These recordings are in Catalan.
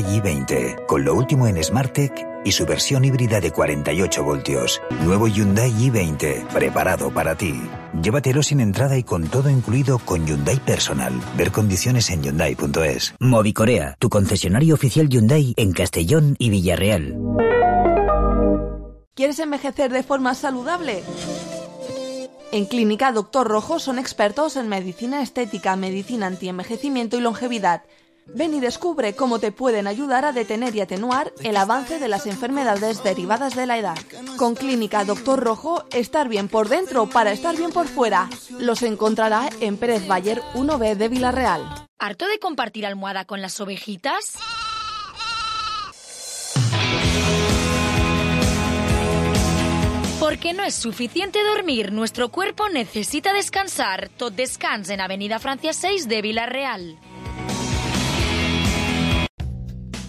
i20, con lo último en SmartTech y su versión híbrida de 48 voltios. Nuevo Hyundai i20, preparado para ti. Llévatelo sin entrada y con todo incluido con Hyundai Personal. Ver condiciones en Hyundai.es. Movicorea, tu concesionario oficial Hyundai en Castellón y Villarreal. ¿Quieres envejecer de forma saludable? En Clínica Doctor Rojo son expertos en medicina estética, medicina antienvejecimiento y longevidad. Ven y descubre cómo te pueden ayudar a detener y atenuar el avance de las enfermedades derivadas de la edad. Con Clínica Doctor Rojo, estar bien por dentro para estar bien por fuera. Los encontrará en Pérez Bayer 1B de Villarreal. ¿Harto de compartir almohada con las ovejitas? Porque no es suficiente dormir, nuestro cuerpo necesita descansar. Tot Descans en Avenida Francia 6 de Villarreal.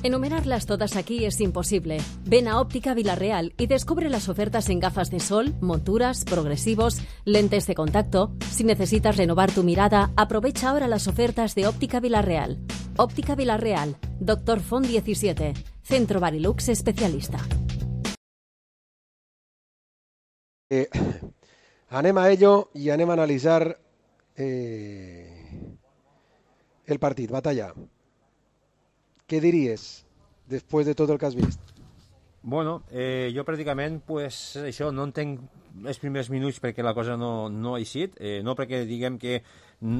Enumerarlas todas aquí es imposible. Ven a Óptica Villarreal y descubre las ofertas en gafas de sol, monturas, progresivos, lentes de contacto. Si necesitas renovar tu mirada, aprovecha ahora las ofertas de Óptica Villarreal. Óptica Villarreal, Dr. Font 17, Centro Barilux especialista. Anem a ello i anem a analitzar el partit, Batalla. Què diries després de tot el que has vist? Bueno, jo pràcticament pues, això no entenc els primers minuts perquè la cosa no ha eixit, no perquè diguem que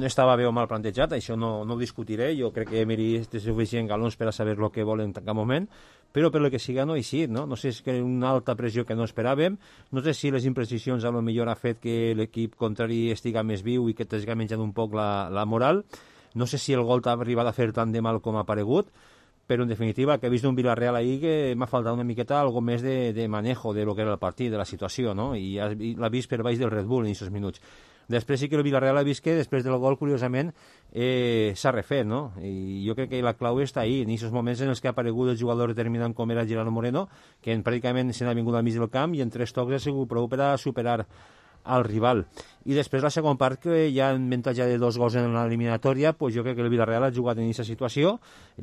estava bé o mal plantejat, això no ho discutiré, jo crec que Emery té suficient galons per a saber el que vol en cap moment, però per lo que siga no ha eixit, no? No sé si és una alta pressió que no esperàvem, no sé si les imprecisions a lo millor ha fet que l'equip contrari estiga més viu i que t'hagi menjat un poc la moral, no sé si el gol t'ha arribat a fer tant de mal com ha paregut, però en definitiva que he vist un Villarreal ahí que m'ha faltat una miqueta algo més de manejo de lo que era el partit, de la situació, no? I l'ha vist per baix del Red Bull en aquests minuts. Després sí que el Villarreal ha vist que després del gol, curiosament, s'ha refet, no? I jo crec que la clau està ahí, en aquests moments en els que ha aparegut el jugador determinant com era Gerardo Moreno, que pràcticament se n'ha vingut al mig del camp i en 3 tocs ha sigut prou per a superar al rival. I després la segona part, que ja en avantatge de 2 gols en l'eliminatòria, pues jo crec que el Villarreal ha jugat en aquesta situació,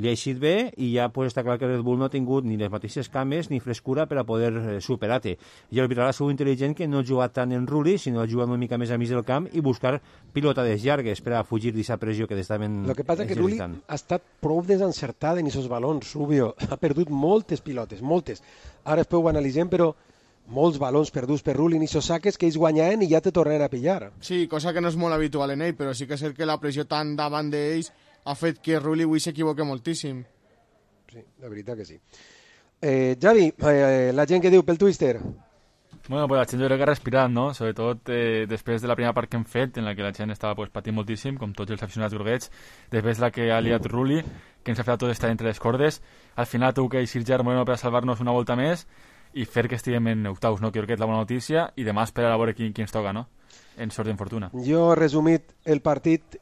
li ha eixit bé i ja pues, està clar que el Red Bull no ha tingut ni les mateixes cames ni frescura per a poder superar-te. I el Villarreal ha sigut intel·ligent que no ha jugat tant en Rulli, sinó ha jugat una mica més a mig del camp i buscar pilotades llargues per a fugir d'aquesta pressió que estaven exercitant. El que passa és que Rulli ha estat prou desencertat en aquests balons, Rubio. Ha perdut moltes pilotes, moltes. Ara després ho analitzem, però molts balons perduts per Rulli i saques que ells guanyaven i ja te tornen a pillar. Sí, cosa que no és molt habitual en ell, però sí que és cert que la pressió tan davant d'ells ha fet que Rulli avui s'equivoqui moltíssim. Sí, la veritat que sí. Javi, la gent que diu pel Twister? Bueno, pues la gent jo crec que ha respirat, no? Sobretot després de la primera part que hem fet, en la que la gent estava pues, patint moltíssim, com tots els aficionats groguets, després de la que ha liat Rulli, que ens ha fet tot estar entre les cordes. Al final tu que eixir Gerard Moreno per a salvar-nos una volta més i fer que estiguem en octaus, no? Que crec que és la bona notícia, i demà esperar a veure qui ens toca, no? En sort d'infortuna. Jo he resumit el partit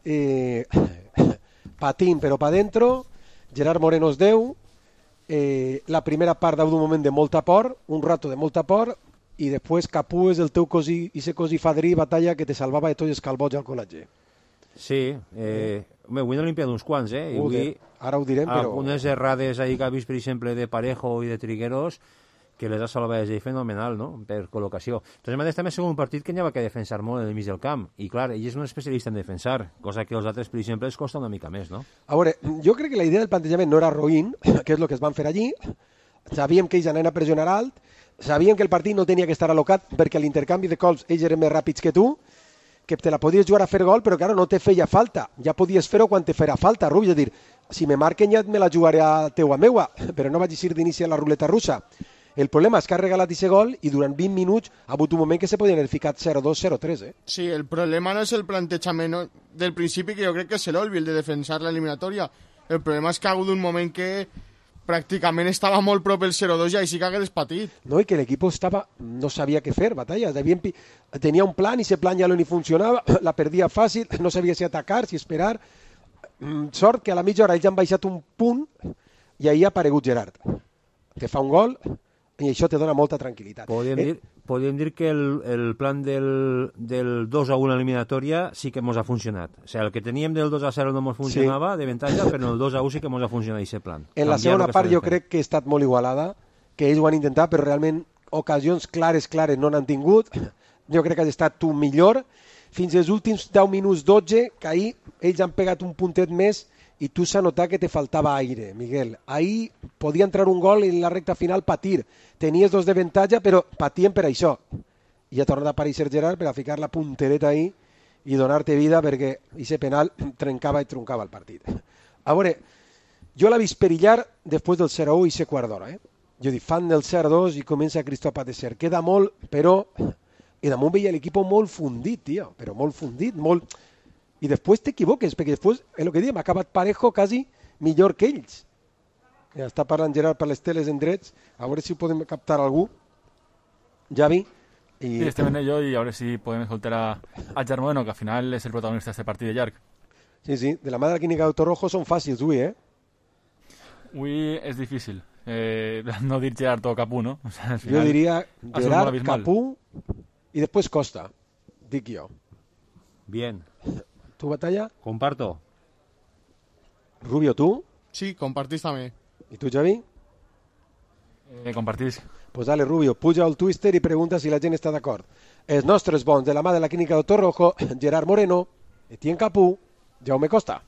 patint però pa dentro. Gerard Moreno és 10, la primera part d'un moment de molta por, un rato de molta por, i després Capú és el teu cosí, i ese cosí fadrí, Batalla, que te salvava de tots els calbots al col·legi. Sí, avui n'ha limpiat uns quants, eh? Ara ho direm, però... Algunes errades ahí que ha vist, per exemple, de Parejo i de Trigueros, que les ha salvat de fenomenal, no?, per col·locació. Entonces, a més, també ha sigut un partit que n'hi ha que defensar molt en el mig del camp, i clar, ell és un especialista en defensar, cosa que els altres, per exemple, els costa una mica més, no? A veure, jo crec que la idea del plantejament no era roïn, que és el que es van fer allí, sabíem que ells anaven a pressionar alt, sabíem que el partit no tenia que estar al·locat perquè l'intercanvi de cols ells eren més ràpids que tu, que te la podies jugar a fer gol, però claro, no te feia falta, ja podies fer-ho quan te farà falta, Rubi, és a dir, si me marquen ja me la jugaré a teua meua, però no vaig eixir d'inici a la ruleta russa. El problema és que ha regalat aquest gol i durant 20 minuts ha hagut un moment que se podien haver ficat 0-2, 0-3, Sí, el problema no és el plantejament del principi, que jo crec que és l'Olvi, el de defensar l'eliminatòria. El problema és que ha hagut un moment que pràcticament estava molt prop el 0-2 i així que hagués patit. No, i que l'equip no sabia què fer, Batalla. Tenia un plan i ese plan ja no li funcionava, la perdia fàcil, no sabia si atacar, si esperar. Sort que a la mitja hora ells han baixat un punt i ahir ha aparegut Gerard, que fa un gol, i això te dona molta tranquil·litat. Podríem dir que el plan del 2-1 eliminatòria sí que ens ha funcionat. O sigui, el que teníem del 2-0 no ens funcionava, de avantatge, però el 2-1 sí que ens ha funcionat aquest plan. En la segona part jo crec que ha estat molt igualada, que ells ho han intentat, però realment ocasions clares no n'han tingut. Jo crec que ha estat tu millor. Fins als últims 10 minuts 12, que ahir ells han pegat un puntet més i tu s'ha notat que te faltava aire, Miguel. Ahir podia entrar un gol i en la recta final patir. Tenies 2 d'avantatge, però patien per això. I ha tornat a aparèixer Gerard per a ficar la puntereta ahir i donar-te vida perquè aquest penal trencava i truncava el partit. A veure, jo l'he vist perillar després del 0-1 i ser quart d'hora. Jo dic, fan del 0-2 i comença Christophe a ser. Queda molt, però... I damunt veia l'equip molt fundit, tio, però molt fundit, molt... I després t'equivoques, perquè després, el que diem, ha acabat Parejo quasi millor que ells. Ja està parlant Gerard per les teles en drets, a veure si podem captar algú. Javi. Sí, estem en ello i a veure si podem escoltar a Gerard Moreno, que al final és el protagonista d'aquest partit de llarg. Sí, de la mà de la clínica Doctor Rojo són fàcils, avui, Avui és difícil. No dir Gerard o Capú, no? O sea, jo diria Gerard, Capú... Y después Costa, dic yo. Bien. ¿Tu batalla? Comparto. Rubio, ¿tú? Sí, compartís també. ¿Y tú, Javi? Compartís. Pues dale, Rubio, puja al Twister i pregunta si la gent està d'acord. Els nostres bons de la mà de la clínica Doctor Rojo, Gerard Moreno, Etienne Capú, Jaume Costa.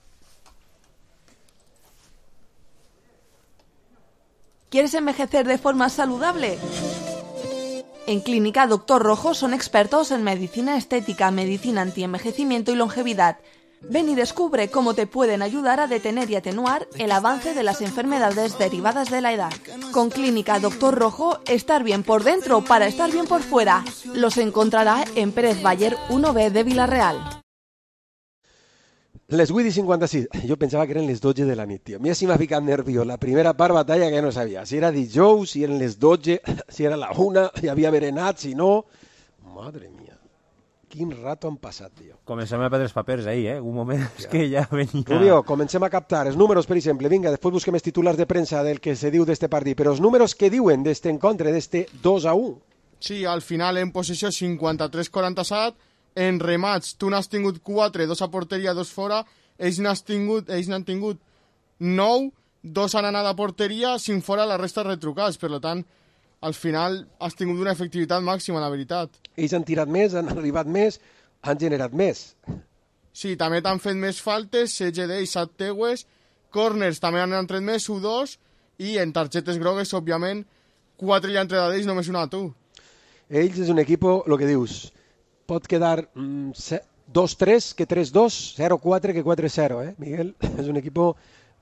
¿Quieres envejecer de forma saludable? En Clínica Doctor Rojo son expertos en medicina estética, medicina antienvejecimiento y longevidad. Ven y descubre cómo te pueden ayudar a detener y atenuar el avance de las enfermedades derivadas de la edad. Con Clínica Doctor Rojo, estar bien por dentro para estar bien por fuera. Los encontrará en Pérez Bayer 1B de Vila-real. Les 8:56. Jo pensava que eren les 12 de la nit, tio. A mi sí m'ha ficat nerviós. La primera part batalla que no sabia. Si era dijous, si eren les 12, si era la 1, hi havia berenat, si no... Madre mia. Quin rato han passat, tio. Comencem a perdre els papers ahir, Un moment, és que ja venia... Rubio, comencem a captar els números, per exemple. Vinga, després busquem els titulars de premsa del que se diu d'este partit. Però els números que diuen d'este encontre, d'este 2-1. Sí, al final en possessió 53-47, en remats tu n'has tingut 4, 2 a porteria, 2 fora, ells n'han tingut 9, 2 han anat a porteria, 5 fora, la resta retrucats. Per tant, al final has tingut una efectivitat màxima, la veritat. Ells han tirat més, han arribat més, han generat més. Sí, també t'han fet més faltes, CGD i 7 teues, corners també han entrat més, 1-2, i en targetes grogues, òbviament, 4 ja han entrat d'ells, només una a tu. Ells és un equip, el que dius, pot quedar 2-3 que 3-2, 0-4 que 4-0, Miguel? És un equip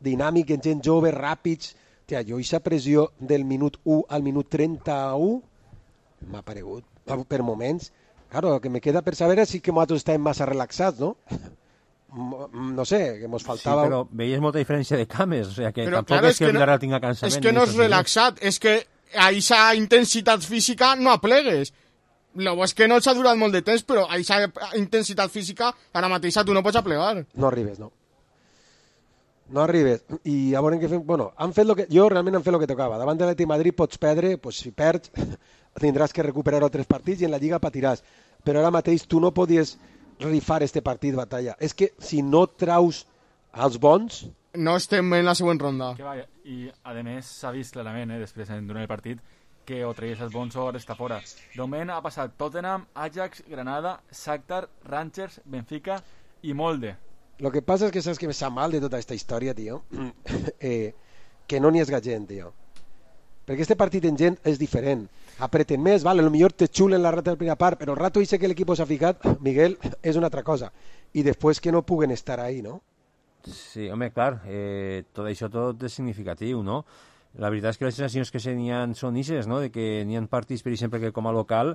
dinàmic, gent jove, ràpids. Tia, jo aquesta pressió del minut 1 al minut 31 m'ha paregut, per moments. Claro, el que me queda per saber és si que nosaltres estàvem massa relaxats, no? No sé, que ens faltava... Sí, però veies molta diferència de cames, o sigui, que però, tampoc clar, és que Villarreal tinga cansament. És que no és relaxat, és que a aquesta intensitat física no aplegues. És que no s'ha durat molt de temps, però a aquesta intensitat física ara mateix tu no pots aplegar. No arribes, no. No arribes. I a veure què fem... Bueno, jo realment han fet el que tocava. Davant de l'Atlètic Madrid pots perdre, pues, si perds tindràs que recuperar altres partits i en la Lliga patiràs. Però ara mateix tu no podies rifar este partit, batalla. És que si no traus els bons... No estem en la següent ronda. I, a més, s'ha vist clarament, després, durant el partit, que o tragués els bons o està fora. De moment ha passat Tottenham, Ajax, Granada, Shakhtar, Rangers, Benfica i Molde. Lo que passa és que saps que me sap mal de tota aquesta història, tio, que no n'hi és gent, tio. Perquè este partit en gent és diferent. Apreten més, vale, potser te xulen la rata de la primera part, però el rato dice que l'equip s'ha ficat, Miguel, és una altra cosa. I després que no puguen estar ahí, no? Sí, home, clar, tot això tot és significatiu, no? La veritat és que les sensacions que són ixes, no? De que n'hi ha partits, per exemple, que com a local,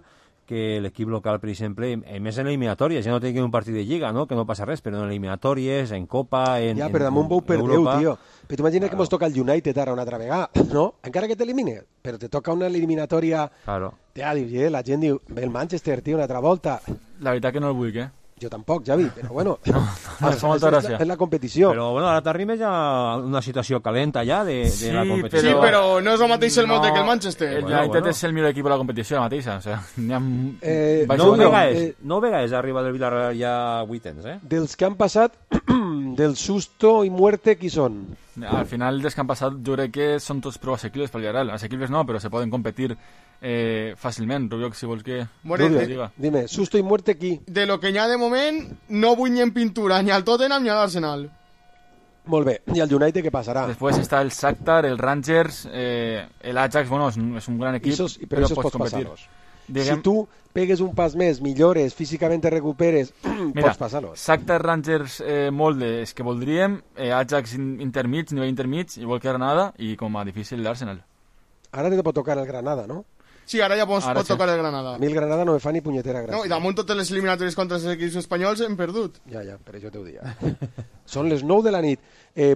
que l'equip local, per exemple, més en eliminatòries, ja no té que un partit de Lliga, no? Que no passa res, però en eliminatòries, en Copa, en ja, però damunt vau per Déu, tio. Però t'imagines que mos toca el United ara una altra vegada, no? Encara que t'elimine, però te toca una eliminatòria... Claro. Tia, la gent diu, ve el Manchester, tio, una altra volta. La veritat que no el vull, Jo tampoc, Javi, però bueno, és la competició. Però bueno, ara t'arrimes a una situació calenta ja de la competició. Sí, però no és el mateix el Molde que el Manchester. El United és el millor equip de la competició ara mateixa. O sea, no vegades arriba del Villarreal ja a vuitens, Dels que han passat, del susto i muerte, qui són? Al final dels que han passat jo crec que són tots prou assequibles pel Villarreal. Assequibles no, però se poden competir fàcilment. Rubio, si vols que... Rubio, dime, susto i muerte qui? De lo que n'hi ha de moment, no vull ni en pintura, ni al Tottenham ni a l'Arsenal. Molt bé, i el United què passarà? Després està el Shakhtar, el Rangers, l'Ajax, bueno, és un gran equip, però pots competir. Si tu pegues un pas més, millores, físicament te recuperes, pots passar-los. Shakhtar, Rangers, Molde, és que voldríem, Ajax intermig, nivell intermig, igual que Granada, i com a difícil l'Arsenal. Ara te pot tocar el Granada, no? Sí, ara ja pot tocar el Granada. A mi el Granada no me fa ni punyetera gràcia. No, i damunt totes les eliminatòries contra els equips espanyols hem perdut. Ja, per això t'ho dia. Són les 9 de la nit.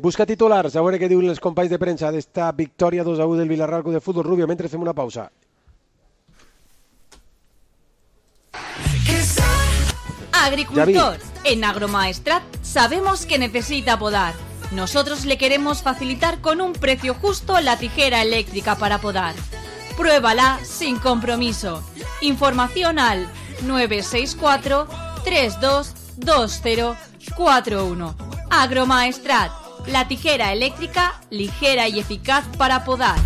Busca titulars, a veure què diuen els companys de premsa d'esta victòria 2-1 del Villarreal Club de Futbol. Rubio, mentre fem una pausa. Agricultor, en Agromaestrat sabemos que necesita podar. Nosotros le queremos facilitar con un precio justo la tijera eléctrica para podar. Pruébala sin compromiso. Información al 964 322041. Agromaestrat, la tijera eléctrica ligera y eficaz para podar.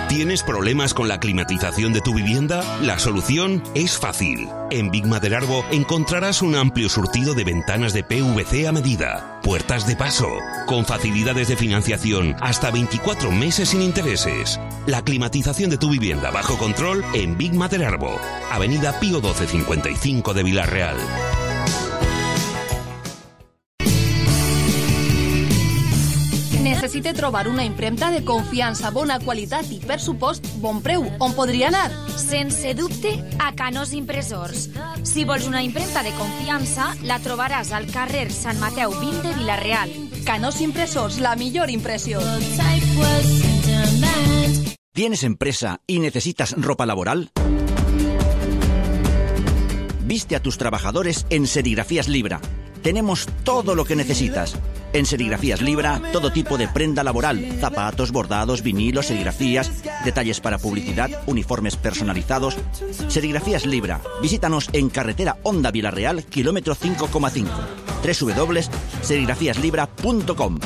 ¿Tienes problemas con la climatización de tu vivienda? La solución es fácil. En Big Maderarbo encontrarás un amplio surtido de ventanas de PVC a medida, puertas de paso, con facilidades de financiación hasta 24 meses sin intereses. La climatización de tu vivienda bajo control en Big Maderarbo, Avenida Pío 1255 de Villarreal. Necessite trobar una impremta de confiança, bona qualitat i, per supost, bon preu. On podria anar? Sense dubte, a Canós Impressors. Si vols una impremta de confiança, la trobaràs al carrer Sant Mateu 20 de Vila-real. Canós Impressors, la millor impressió. ¿Tienes empresa y necesitas ropa laboral? Viste a tus trabajadores en Serigrafías Libra. Tenemos todo lo que necesitas. En Serigrafías Libra, todo tipo de prenda laboral, zapatos, bordados, vinilos, serigrafías, detalles para publicidad, uniformes personalizados. Serigrafías Libra. Visítanos en carretera Honda Villarreal, kilómetro 5,5. www.serigrafiaslibra.com.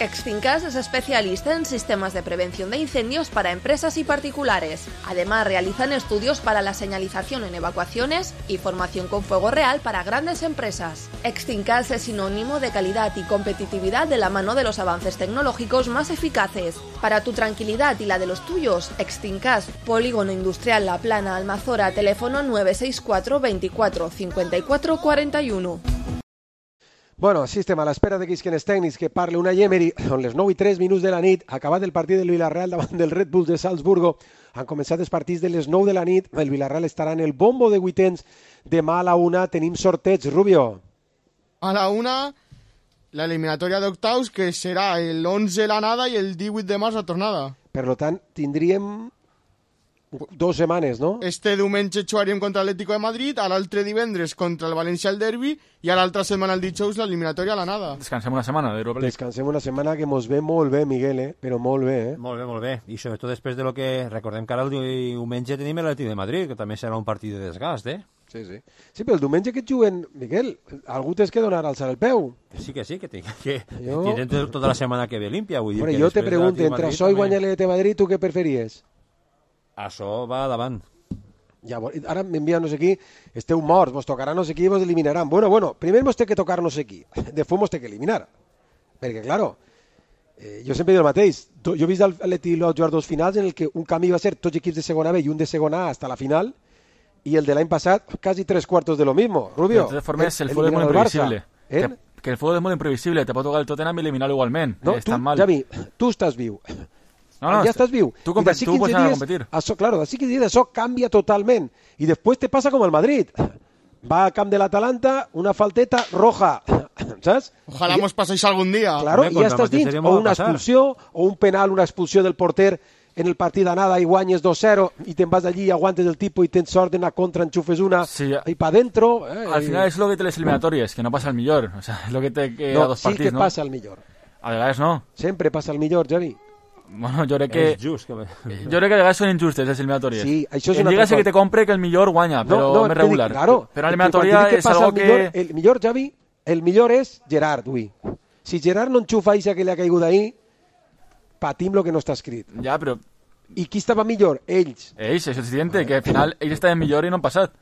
Extinkas es especialista en sistemas de prevención de incendios para empresas y particulares. Además, realizan estudios para la señalización en evacuaciones y formación con fuego real para grandes empresas. Extinkas es sinónimo de calidad y competitividad de la mano de los avances tecnológicos más eficaces. Para tu tranquilidad y la de los tuyos, Extinkas, Polígono Industrial La Plana, Almazora, teléfono 964 24 54 41. Bueno, així estem a l'espera d'aquells tècnics que parli una Emery. Són les 9:03 de la nit, acabat el partit del Villarreal davant del Red Bull de Salzburgo. Han començat els partits de les 9 de la nit. El Villarreal estarà en el bombo de vuitens. Demà a la 1 tenim sorteig, Rubio. A la 1, la eliminatòria d'octaus, que serà el 11 l'anada i el 18 de març la tornada. Per tant, tindríem 2 setmanes, no? Este diumenge jugaríem contra l'Atlético de Madrid, a l'altre divendres contra el València al derbi i a l'altra setmana el dijous l'eliminatòria a l'anada. Descansem una setmana d'Europa League. Descansem una setmana que mos ve molt bé, Miguel, però molt bé, Molt bé. I sobretot després de lo que recordem que ara el diumenge tenim l'Atlètic de Madrid, que també serà un partit de desgast, Sí, però el diumenge que juguen, Miguel, algú tens que donar alçar el peu. Sí, que tenen tota la setmana que ve límpia. Vull dir que jo te pregunto, entre això i guanyar l'Atlètic de Madrid, tu què preferies? Això va davant. Ja, ara m'envia no sé qui, esteu morts, vos tocarà no sé qui i vos eliminaran. Bueno, primer vos té que tocar no sé qui, després vos té que eliminar. Perquè, claro, jo sempre dic el mateix. Jo he vist l'Atlètic jugar 2 finals en el que un canvi va ser tots equips de segona B i un de segona A hasta la final, i el de l'any passat, quasi 3/4 de lo mismo. Rubio, de totes formes, el fútbol és molt imprevisible. Que el fútbol és molt imprevisible, te pot tocar el Tottenham i eliminar-lo igualment. No, tu, Javi, tu estàs viu. No, ja estàs viu. Tu pots anar a competir. D'ací 15 dies això canvia totalment. I després te passa com el Madrid. Va al camp de l'Atalanta, una falteta roja, saps? Ojalá mos passéis algun dia. Claro, i ja estàs dins. O una expulsió, o un penal, una expulsió del porter en el partit d'anada i guanyes 2-0 i te'n vas allí, aguantes el tipus i tens sort d'anar contra, enxufes una i pa dentro. Al final és lo que té les eliminatòries, que no passa el millor. O sea, és lo que té que a dos partits, sí que passa el millor. A vegades no. Sempre passa el millor, Javi. Bueno, jo crec que... És just. Jo crec que a vegades són injustes les eliminatòries. Sí, això és en Lliga sé que te compre que el millor guanya, però més regular. Claro, però en eliminatòria és algo que... El millor, Javi, el millor és Gerard, ui. Si Gerard no enxufa això que li ha caigut ahí, patim lo que no està escrit. Ja, però... I qui estava millor? Ells. Ells, això és evident, que al final ells estaven millor i no han passat.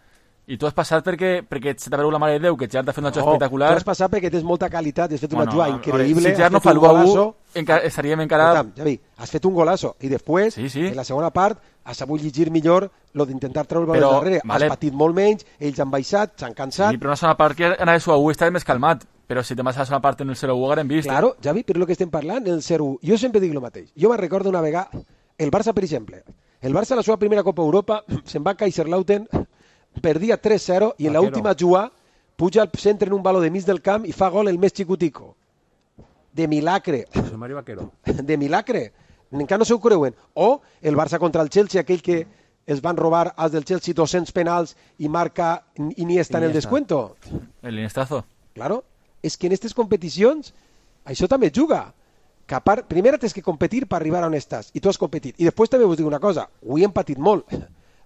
I tu has passat perquè se t'ha vegut la mare de Déu, que Gerard ha fet una jugada espectacular. Tu has passat perquè tens molta qualitat, has fet una jugada increïble. Si Gerard no fa l'1-1, estaríem encara... Javi, has fet un golazo i després, en la segona part, has sabut llegir millor lo d'intentar treure el baló darrere. Has patit molt menys, ells han baixat, s'han cansat... Sí, però una segona part que anava de 1-1 estava més calmat. Però si te vas a la segona part en el 0-1 haguem vist... Claro, Javi, però el que estem parlant, el 0-1. Jo sempre dic el mateix. Jo me'n recordo una vegada, el Barça, per exemple. El Barça a la seva primera Copa Europa se'n va a Kaiserslautern, perdia 3-0 i en l'última jugada puja al centre en un baló de mig del camp i fa gol el més xicutico. De milagre. José Mario Vaquero. De milagre. Encara no s'ho creuen. O el Barça contra el Chelsea, aquell que es van robar als del Chelsea 200 penals i marca Iniesta en el descuento. El Iniestazo. Claro. És que en aquestes competicions això també juga. Que a part, primer tens que competir per arribar on estàs, i tu has competit. I després també us dic una cosa, avui hem patit molt,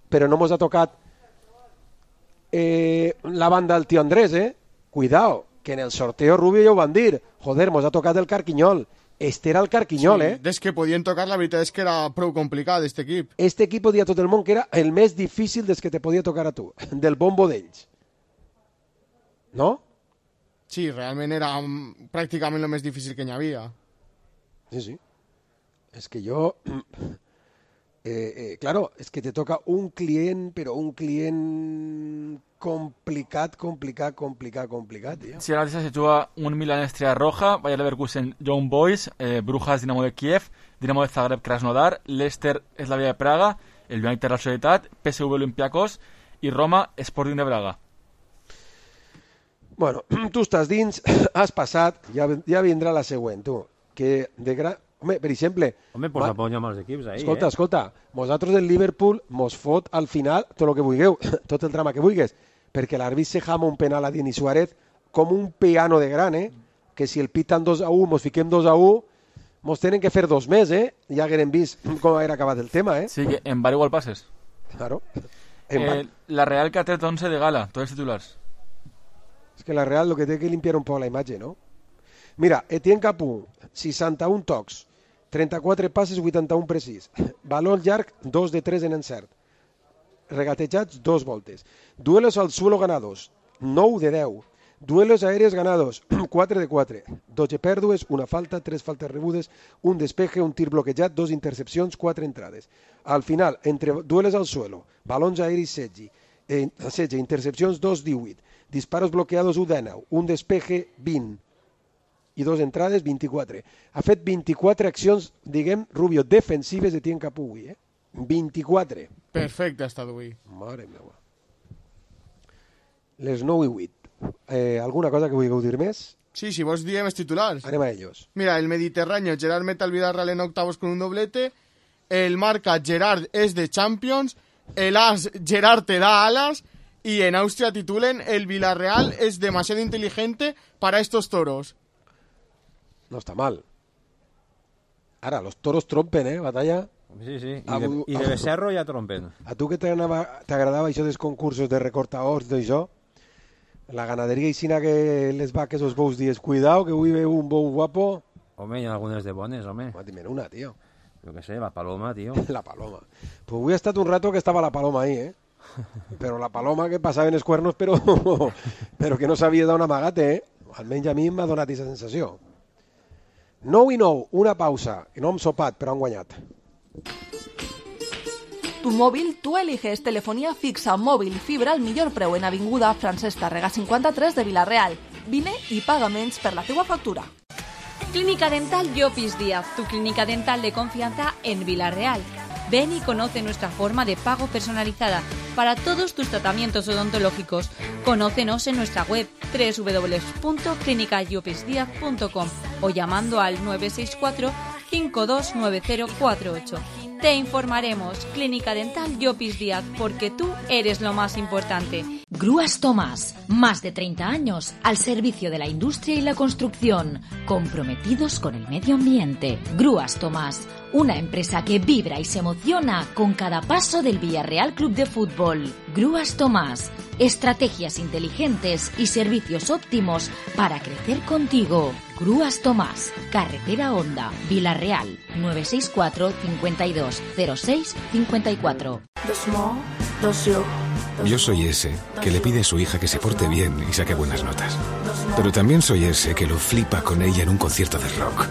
però no mos ha tocat la banda del tio Andrés, Cuidao, que en el sorteo Rubio ja ho van dir. Joder, mos ha tocat el Carquinyol. Este era el Carquinyol, sí, des que podien tocar, la veritat és que era prou complicat, este equip. Este equip podia tot el món, que era el més difícil des que te podia tocar a tu, del bombo d'ells. No? Sí, realment era pràcticament el més difícil que n'hi havia. Sí, sí. És que jo... claro, es que te toca un client, però un client complicat, tío. Sí, ara se juga un Milan Estrella Roja, Bayer Leverkusen Young Boys, Brujas Dinamo de Kiev, Dinamo de Zagreb Krasnodar, Leicester Slavia de Praga, el United Real Sociedad, PSV Olympiacos i Roma Sporting de Braga. Bueno, tu estàs dins, has passat, ja vindrà la següent, tu, que de gran... Home, per exemple... Home, pues apoyem els equips ahí, Escolta, vosaltres del Liverpool mos fot al final tot el que vulgueu, tot el drama que vulguis, perquè l'àrbit se jama un penal a Denis Suárez com un piano de gran, que si el piten 2-1, mos fiquem 2-1, mos tenen que fer 2 més, Ja haguem vist com era acabat el tema, Sí, que en bar igual passes. Claro. La Real que ha tret 11 de gala, tots els titulars. És que la Real lo que té que limpiar un poc la imatge, no? Mira, Etienne Capú, 61 tocs, 34 passes, 81 precís. Balón llarg, 2 de 3 en encert. Regatejats, 2 voltes. Duelos al suelo ganados, 9 de 10. Duelos aéreos ganados, 4 de 4. 12 pèrdues, una falta, 3 faltes rebudes, un despeje, un tir bloquejat, 2 intercepcions, 4 entrades. Al final, entre duelos al suelo, balons aeris 16, intercepcions 2-18, disparos bloqueados 1-19, un despeje 20 i 2 entrades 24. Ha fet 24 accions, diguem, Rubio, defensives de Etienne Capú avui, 24. Perfecte ha estat avui. Mare meva. Les 9 i 8. Alguna cosa que vulgueu dir més? Sí, si vos diem els titulars. Anem a ellos. Mira, el Mediterráneo, Gerard mete al Villarreal en octavos con un doblete. El Marca, Gerard es de Champions. El As, Gerard te da alas. Y en Austria titulen, el Villarreal es demasiado inteligente para estos toros. No està mal. Ara, los toros trompen, batalla. Sí, sí. I de Becerro ja trompen. A tu que t'agradava això dels concursos de recortadors d'això, la ganaderia i sina que les vaques os bous dies, cuidao, que avui veu un bou guapo. Home, hi ha algunes de bones, home. Dime una, tío. Yo qué sé, la paloma, tío. La paloma. Pues avui ha estat un rato que estava la paloma ahí, Però la paloma que passava en els cuernos, però que no sabia d'on amagate, Almenys a mi m'ha donat aquesta sensació. 9 i 9, una pausa, que no hem sopat, però han guanyat. Tu móvil, tú eliges telefonía fixa, móvil, fibra al millor preu en Avinguda Francesc Tàrrega 53 de Vila-real. Vine i paga menys per la teua factura. Clínica Dental Llopis Díaz, tu clínica dental de confianza en Vila-real. Ven y conoce nuestra forma de pago personalizada para todos tus tratamientos odontológicos. Conócenos en nuestra web www.clinicallopisdiaz.com o llamando al 964 529048. Te informaremos. Clínica Dental Llopis Díaz, porque tú eres lo más importante. Grúas Tomás, más de 30 años al servicio de la industria y la construcción, comprometidos con el medio ambiente. Grúas Tomás, una empresa que vibra y se emociona con cada paso del Villarreal Club de Fútbol. Grúas Tomás, estrategias inteligentes y servicios óptimos para crecer contigo. Grúas Tomás, Carretera Honda, Villarreal, 964 52 06 54. Yo soy ese que le pide a su hija que se porte bien y saque buenas notas. Pero también soy ese que lo flipa con ella en un concierto de rock.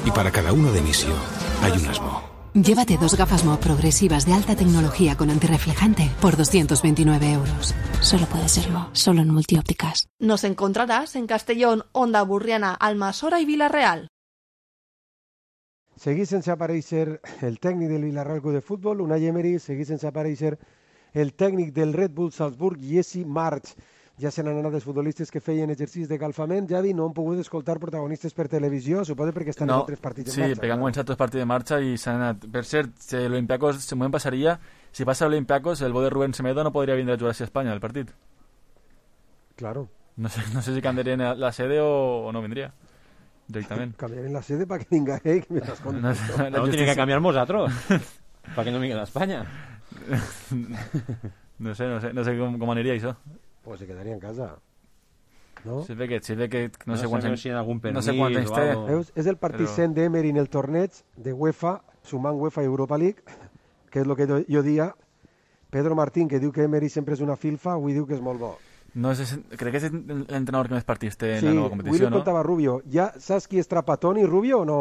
Y para cada uno de mis yo hay unas Mo. Llévate 2 gafas Mo progresivas de alta tecnología con antirreflejante por 229 euros. Solo puede ser Mo, solo en Multiópticas. Nos encontrarás en Castellón, Onda Burriana, Almassora y Villarreal. Seguís sense aparèixer el tècnic del Villarreal Club de Futbol, Unai Emery, seguís sense aparèixer el tècnic del Red Bull Salzburg, Jesse March. Ja se n'han anat els futbolistes que feien exercicis de calfament. Javi, no han pogut escoltar protagonistes per televisió, suposo perquè estan en 3 partits en marxa. Sí, perquè han començat 2 partits de marxa i s'han anat. Per cert, si l'Olympiacos se m'ho passaria, si passa l'Olympiacos, el bo de Rubén Semedo no podria vindre a jugar a Espanya el partit. Claro. No sé si cambiarían la sede o no vendría directamente. Cambiarían la sede para que venga que me estás contando. No tiene que cambiar vosotros para que no venga a España. No sé cómo aniria això. Pues se quedaria en casa. No? Sí ve que no sé quants si en algun permís, no sé quants anys té. Veus? És el partit 100 d'Emery en el torneig de UEFA, sumant UEFA i Europa League, que és el que jo dia. Pedro Martín, que diu que Emery sempre és una filfa, avui diu que és molt bo. No, crec que és l'entrenador que més partits té en la nova competició, avui li contava Rubio. Ja saps qui és Trapattoni, Rubio, o no?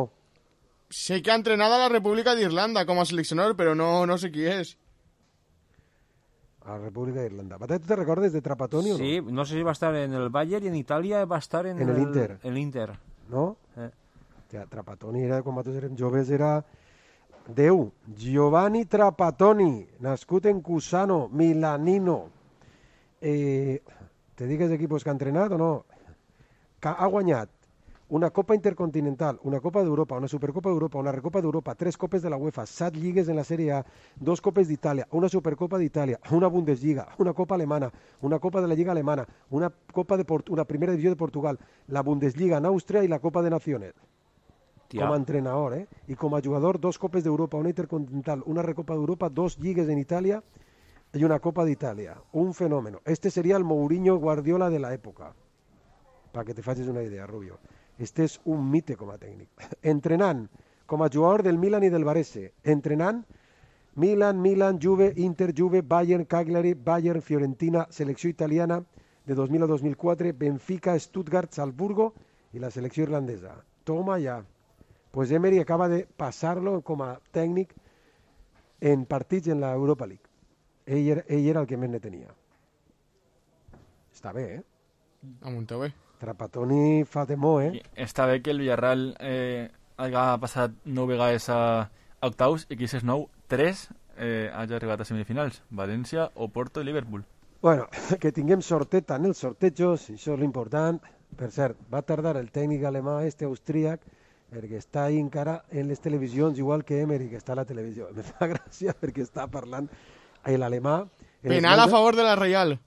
Sé que ha entrenado a la República de Irlanda como seleccionador, pero no sé quién es. A la República de Irlanda. ¿Tú te recuerdas de Trapattoni o no? Sí, no sé si va a estar en el Bayern y en Italia va a estar en el Inter. El Inter. No? Trapattoni era, quan nosaltres érem joves, era Déu. Giovanni Trapattoni, nascut en Cusano, milanino. Te digues equipos que ha entrenat o no? Ha guanyat una Copa Intercontinental, una Copa d'Europa, una Supercopa d'Europa, una Recopa d'Europa, 3 Copes de la UEFA, 7 lligues en la Sèrie A, 2 Copes d'Itàlia, una Supercopa d'Itàlia, una Bundesliga, una Copa alemana, una Copa de la Lliga alemana, una Primera Divisió de Portugal, la Bundesliga en Àustria i la Copa de Naciones. Com a entrenador, I com a jugador, 2 Copes d'Europa, una Intercontinental, una Recopa d'Europa, 2 lligues en Itàlia i una Copa d'Itàlia. Un fenómeno. Este sería el Mourinho Guardiola de la época. Para que te facis una idea, Rubio. Este és un mite com a tècnic. Entrenant com a jugador del Milan i del Varese. Entrenant Milan, Juve, Inter, Juve, Bayern, Cagliari, Bayern, Fiorentina, selecció italiana de 2000 a 2004, Benfica, Stuttgart, Salzburgo i la selecció irlandesa. Toma ja. Pues Emery acaba de passar-lo com a tècnic en partits en la Europa League. Ell era el que més ne tenia. Està bé, Amunteu bé. Trapattoni fa temor, Està bé que el Villarreal hagi passat 9 vegades a octaus i que aquestes 9, 3 hagi arribat a semifinals. València, Oporto i Liverpool. Bueno, que tinguem sorteta en els sortejos, això és l'important. Per cert, va tardar el tècnic alemà, austríac, perquè està ahí encara en les televisions, igual que Emery, que està a la televisió. Me fa gràcia perquè està parlant l'alemà. Penal a favor de la Real.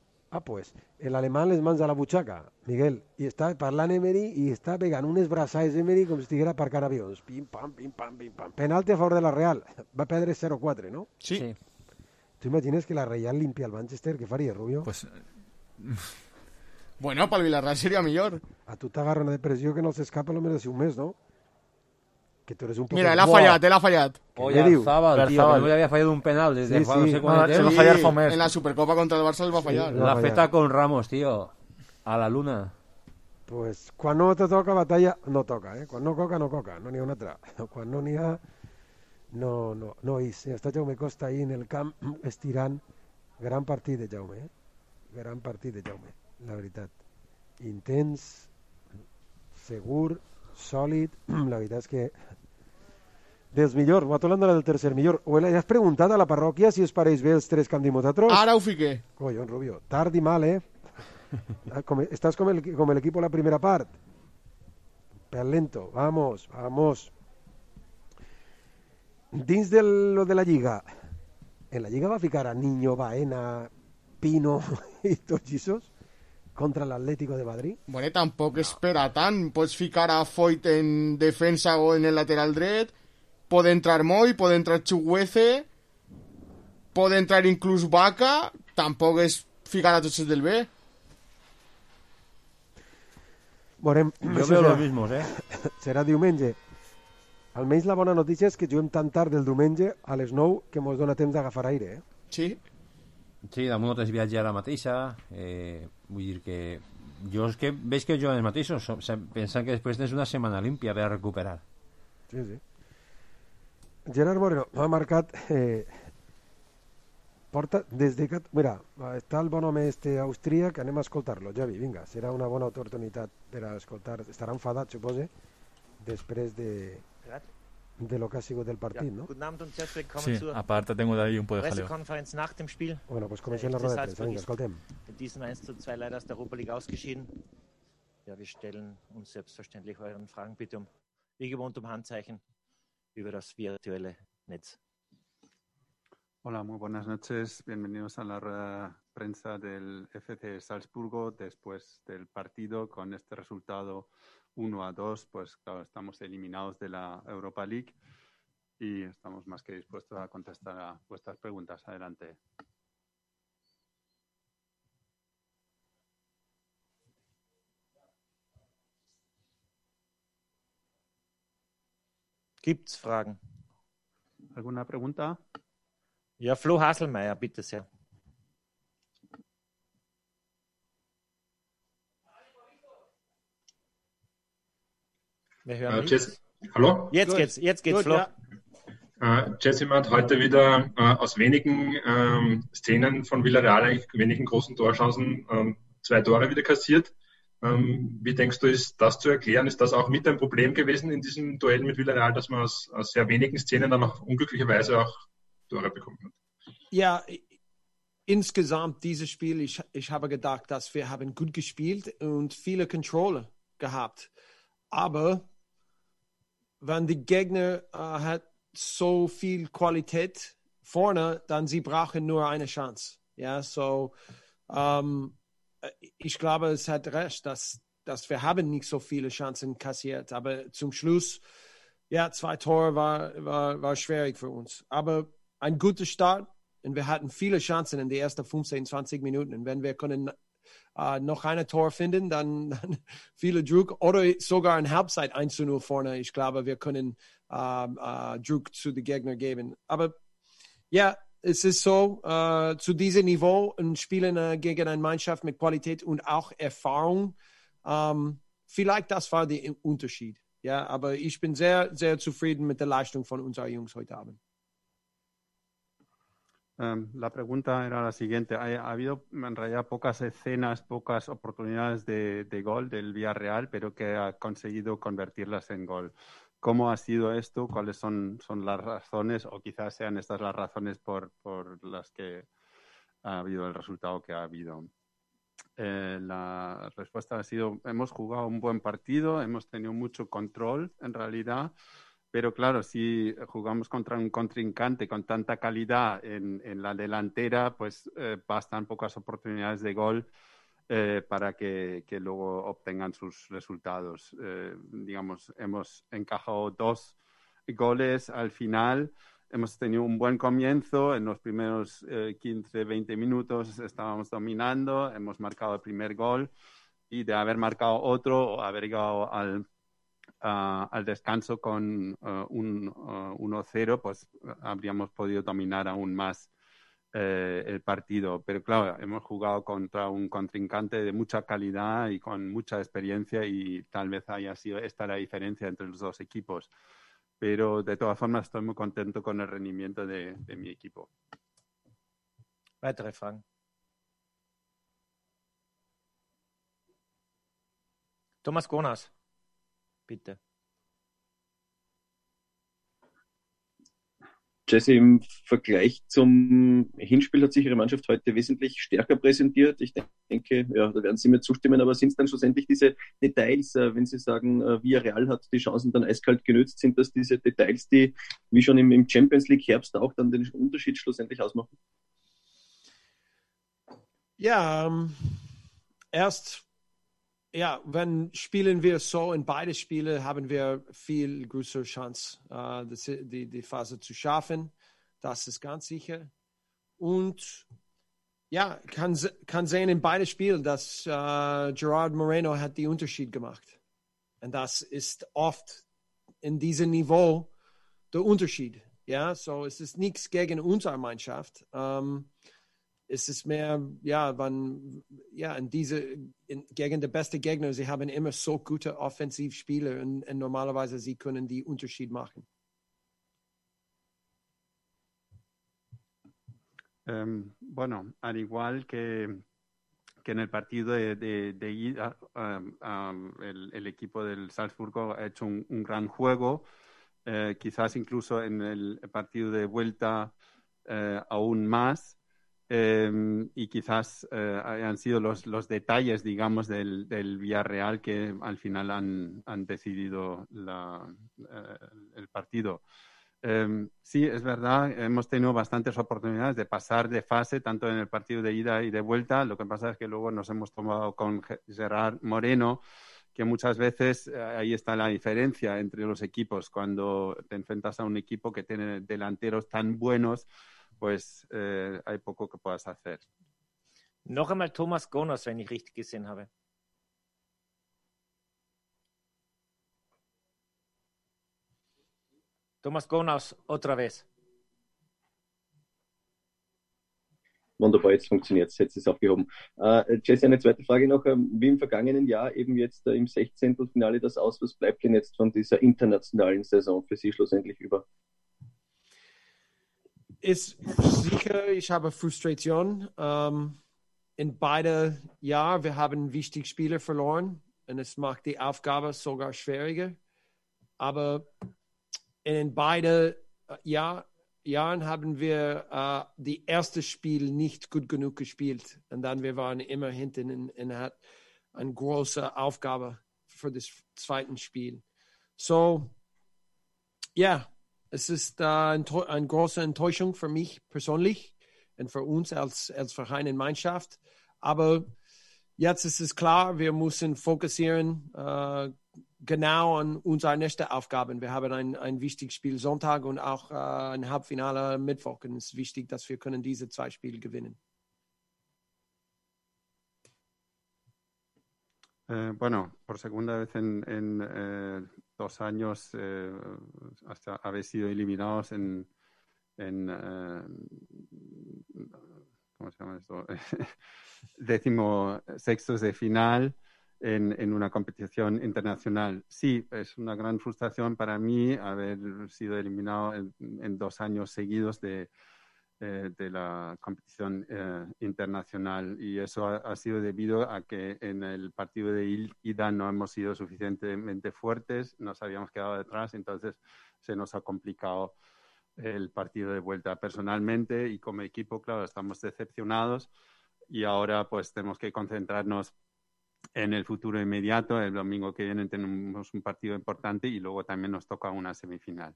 Pues l'alemà les mans a la butxaca, Miguel, i està parlant Emery i està pegant unes braçades Emery com si estiguera aparcant avions. Pim, pam, pim, pam, pim, pam. Penalti a favor de la Real. Va perdre 0-4, no? Sí. ¿Tú imagines que la Real limpia el Manchester? ¿Qué faria, Rubio? Pues... Bueno, para el Villarreal sería millor. A tu t'agarra una depressió que no s'escapa almenys de un mes, no? Que tú eres un poco... Mira, él ha fallat. Oyarzabal, tío, que no le había fallado un penal desde no sé cuándo. Se va a fallar fa un mes. En la Supercopa contra el Barça el va fallar. La feta con Ramos, tío. A la luna. Pues quan no te toca batalla, no toca, Quan no coca, no coca. No n'hi ha una altra. Quan no n'hi ha... No és. Està Jaume Costa ahí en el camp estirant. Gran partit de Jaume, Gran partit de Jaume, la veritat. Intens, segur, sòlid. La veritat és que dels millors, va parlant del tercer millor. O has preguntat a la parròquia si us pareix bé els 3 que han dit nosaltres? Ara ho fiqué. Collons, Rubio, tard i mal, Estàs com el equipo la primera part. Per lento, vamos. Dins de lo de la Lliga, en la Lliga va ficar a Niño, Baena, Pino i tots aquests contra l'Atlético de Madrid. Bueno, tampoc espera tant. Pots ficar a Foyt en defensa o en el lateral dret, pot entrar Moy, pot entrar Chukwueze, pot entrar inclús Vaca, tampoc és ficar a tots els del B. Veurem. Jo veo los mismos, Serà diumenge. Almenys la bona notícia és que juguem tan tard del diumenge a les 9 que mos dona temps d'agafar aire, Sí. Sí, damunt no tens viatge ara mateixa. Vull dir que jo és que veig que juguen els mateixos, pensant que després tens una setmana límpia per a recuperar. Sí, sí. Gerard Moreno ha marcat porta des de que... Mira, està el bon home austríac, anem a escoltar-lo, Javi, vinga, serà una bona oportunitat per a escoltar, estarà enfadat, supose, després de lo que ha sigut el partit, ¿no? Guten Abend und herzlich willkommen Sí, zur aparte tengo de ahí un poco de jaleo. Pressekonferenz nach dem Spiel. Bueno, pues comencem la roda de premsa, vinga, escoltem. Mit diesem 1:2 leider aus der Europa League ausgeschieden. Ja, wir stellen uns selbstverständlich euren Fragen bitte wie gewohnt Handzeichen über das virtuelle Netz. Hola, muy buenas noches. Bienvenidos a la rueda de prensa del FC Salzburgo después del partido con este resultado 1-2, pues claro, estamos eliminados de la Europa League y estamos más que dispuestos a contestar a vuestras preguntas. Adelante. Gibt's Fragen? ¿Alguna pregunta? Ja, Flo Haselmeier, bitte sehr. Wir hören Jesse, hallo? Jetzt geht's, Flo. Ja. Jesse hat heute wieder aus wenigen Szenen von Villarreal, eigentlich wenigen großen Torchancen, 2 Tore wieder kassiert. Wie denkst du, ist das zu erklären? Ist das auch mit ein Problem gewesen in diesem Duell mit Villarreal, dass man aus sehr wenigen Szenen dann auch unglücklicherweise auch Tore bekommen hat? Ja, insgesamt dieses Spiel, ich habe gedacht, dass wir haben gut gespielt und viele Controller gehabt. Aber wenn die Gegner hat so viel Qualität vorne, dann sie brauchen nur eine Chance. Ja, so ich glaube, es hat recht, dass wir haben nicht so viele Chancen kassiert. Aber zum Schluss, ja, 2 Tore war schwierig für uns. Aber ein guter Start und wir hatten viele Chancen in den ersten 15, 20 Minuten. Und wenn wir können noch ein Tor finden, dann viele Druck oder sogar in Halbzeit 1-0 vorne. Ich glaube, wir können Druck zu den Gegnern geben. Aber ja, es ist so, zu diesem Niveau und spielen gegen eine Mannschaft mit Qualität und auch Erfahrung. Vielleicht das war der Unterschied. Ja, aber ich bin sehr, sehr zufrieden mit der Leistung von unseren Jungs heute Abend. La pregunta era la siguiente. Ha habido en realidad pocas escenas, pocas oportunidades de gol del Villarreal, pero que ha conseguido convertirlas en gol. ¿Cómo ha sido esto? ¿Cuáles son las razones? O quizás sean estas las razones por las que ha habido el resultado que ha habido. La respuesta ha sido, hemos jugado un buen partido, hemos tenido mucho control en realidad. Pero claro, si jugamos contra un contrincante con tanta calidad en la delantera, pues bastan pocas oportunidades de gol para que luego obtengan sus resultados. Digamos, hemos encajado 2 goles al final. Hemos tenido un buen comienzo. En los primeros 15-20 minutos estábamos dominando. Hemos marcado el primer gol y de haber marcado otro o haber llegado al descanso con un 1-0, pues habríamos podido dominar aún más el partido. Pero claro, hemos jugado contra un contrincante de mucha calidad y con mucha experiencia y tal vez haya sido esta la diferencia entre los dos equipos. Pero de todas formas estoy muy contento con el rendimiento de mi equipo. Weitere Fragen? Thomas Gonas. Bitte. Jesse, im Vergleich zum Hinspiel hat sich Ihre Mannschaft heute wesentlich stärker präsentiert. Ich denke, ja, da werden Sie mir zustimmen, aber sind es dann schlussendlich diese Details, wenn Sie sagen, Villarreal hat die Chancen dann eiskalt genützt, sind das diese Details, die wie schon im Champions League Herbst auch dann den Unterschied schlussendlich ausmachen? Ja, wenn spielen wir so in beide Spiele, haben wir viel größere Chance, die Phase zu schaffen. Das ist ganz sicher. Und ja, kann sehen in beide Spielen, dass Gerard Moreno hat den Unterschied gemacht. Und das ist oft in diesem Niveau der Unterschied. Ja, so es ist nichts gegen unsere Mannschaft. Es ist mehr, gegen die besten Gegner, sie haben immer so gute Offensivspieler und normalerweise sie können die Unterschied machen. Bueno, al igual que en el partido de ida, el equipo del Salzburgo ha hecho un gran juego, quizás incluso en el partido de vuelta aún más. Y quizás han sido los detalles, digamos, del Villarreal que al final han decidido el partido. Sí, es verdad, hemos tenido bastantes oportunidades de pasar de fase, tanto en el partido de ida y de vuelta. Lo que pasa es que luego nos hemos tomado con Gerard Moreno, que muchas veces ahí está la diferencia entre los equipos. Cuando te enfrentas a un equipo que tiene delanteros tan buenos, pues hay poco que puedas hacer. Noch einmal Thomas Gonos, wenn ich richtig gesehen habe. Thomas Gonos, otra vez. Wunderbar, jetzt funktioniert es, jetzt ist es aufgehoben. Jesse, eine zweite Frage noch. Wie im vergangenen Jahr eben jetzt im 16. Finale das aus, was bleibt denn jetzt von dieser internationalen Saison für Sie schlussendlich über? Ist sicher, ich habe Frustration. In beide Jahren, wir haben wichtige Spieler verloren und es macht die Aufgabe sogar schwieriger. Aber in beide Jahren haben wir die erste Spiel nicht gut genug gespielt und dann wir waren immer hinten und hat eine große Aufgabe für das zweite Spiel. So, ja. Es ist eine große Enttäuschung für mich persönlich und für uns als Verein und Mannschaft. Aber jetzt ist es klar, wir müssen fokussieren genau an unsere nächsten Aufgaben. Wir haben ein wichtiges Spiel Sonntag und auch ein Halbfinale Mittwoch. Und es ist wichtig, dass wir können diese 2 Spiele gewinnen. Bueno, por segunda vez en 2 años hasta habéis sido eliminados en ¿cómo se llama esto? 16º de final en una competición internacional. Sí, es una gran frustración para mí haber sido eliminado en 2 años seguidos de la competición internacional, y eso ha sido debido a que en el partido de ida no hemos sido suficientemente fuertes, nos habíamos quedado detrás, entonces se nos ha complicado el partido de vuelta. Personalmente y como equipo, claro, estamos decepcionados y ahora pues tenemos que concentrarnos en el futuro inmediato. El domingo que viene tenemos un partido importante y luego también nos toca una semifinal.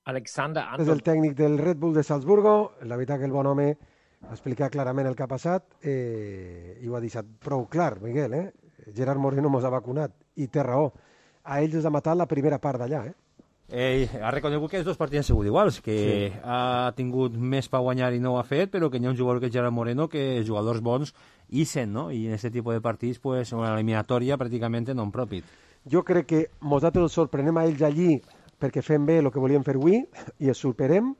Alexander És el tècnic del Red Bull de Salzburgo. La veritat que el bon home ha explicat clarament el que ha passat i ho ha deixat prou clar, Miguel. Gerard Moreno mos ha vacunat i té raó. A ells els ha matat la primera part d'allà. Ha reconegut que els 2 partits han sigut iguals, que sí. Ha tingut més per guanyar i no ho ha fet, però que hi ha un jugador que és Gerard Moreno que els jugadors bons ixen, no? I en aquest tipus de partits, pues, una eliminatòria pràcticament non profit. Jo crec que nosaltres els sorprenem a ells allí perquè fem bé el que volíem fer avui i els superem.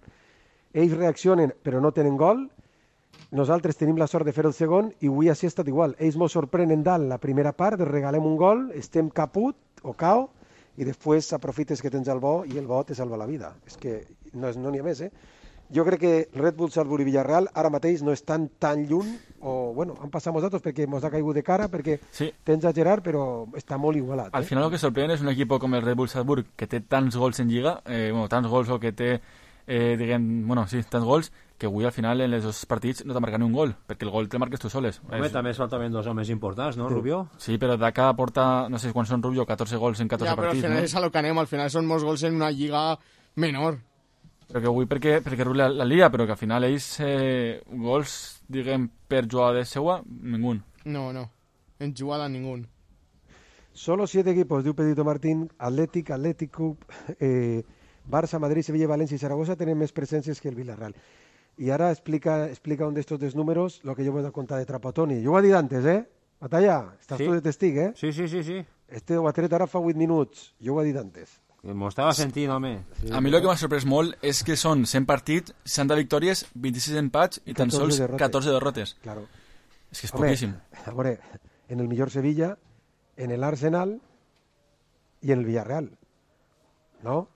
Ells reaccionen però no tenen gol. Nosaltres tenim la sort de fer el segon i avui així ha estat igual. Ells ens sorprenen dalt la primera part, els regalem un gol, estem caput o cao i després aprofites que tens el bo i el bo te salva la vida. És que no n'hi ha més, Jo crec que Red Bull, Salzburg i Villarreal ara mateix no estan tan lluny, o bueno, han passat nosaltres perquè ens ha caigut de cara, perquè sí. Tens a Gerard, però està molt igualat. Al final el que sorprèn és un equip com el Red Bull Salzburg que té tants gols en Lliga, tants gols o que té tants gols, que avui al final en els dos partits no t'ha marcat ni un gol, perquè el gol te'l marques tu soles. Home, també es faltaven dos homes importants, no, Rubio? Sí, però Daka porta, no sé quan són Rubio, 14 gols en 14 partits. Ja, però al final és a lo que anem, al final són molts gols en una lliga menor. Però que avui perquè Rubio la lia, però que al final ells gols, diguem, per jugada seua, ningú. No, en jugada ningú. Solo 7 equipos, diu Pedito Martín, Atlético, Barça, Madrid, Sevilla, Valencia y Zaragoza tenen més presències que el Villarreal. I ara explica un d'estos números lo que yo voy a contar de Trapattoni. Jo ho he dit antes, Batalla, estàs tu de testig, Sí. Este ho ha tret ara fa 8 minuts. Jo ho he dit antes. M'ho estava sentint, home. Sí. A mi el que m'ha sorprès molt és que són 100 partits, 60 victòries, 26 empats i tan sols 14 derrotes. Claro. És que és poquíssim. A veure, en el millor Sevilla, en el Arsenal i en el Villarreal, no?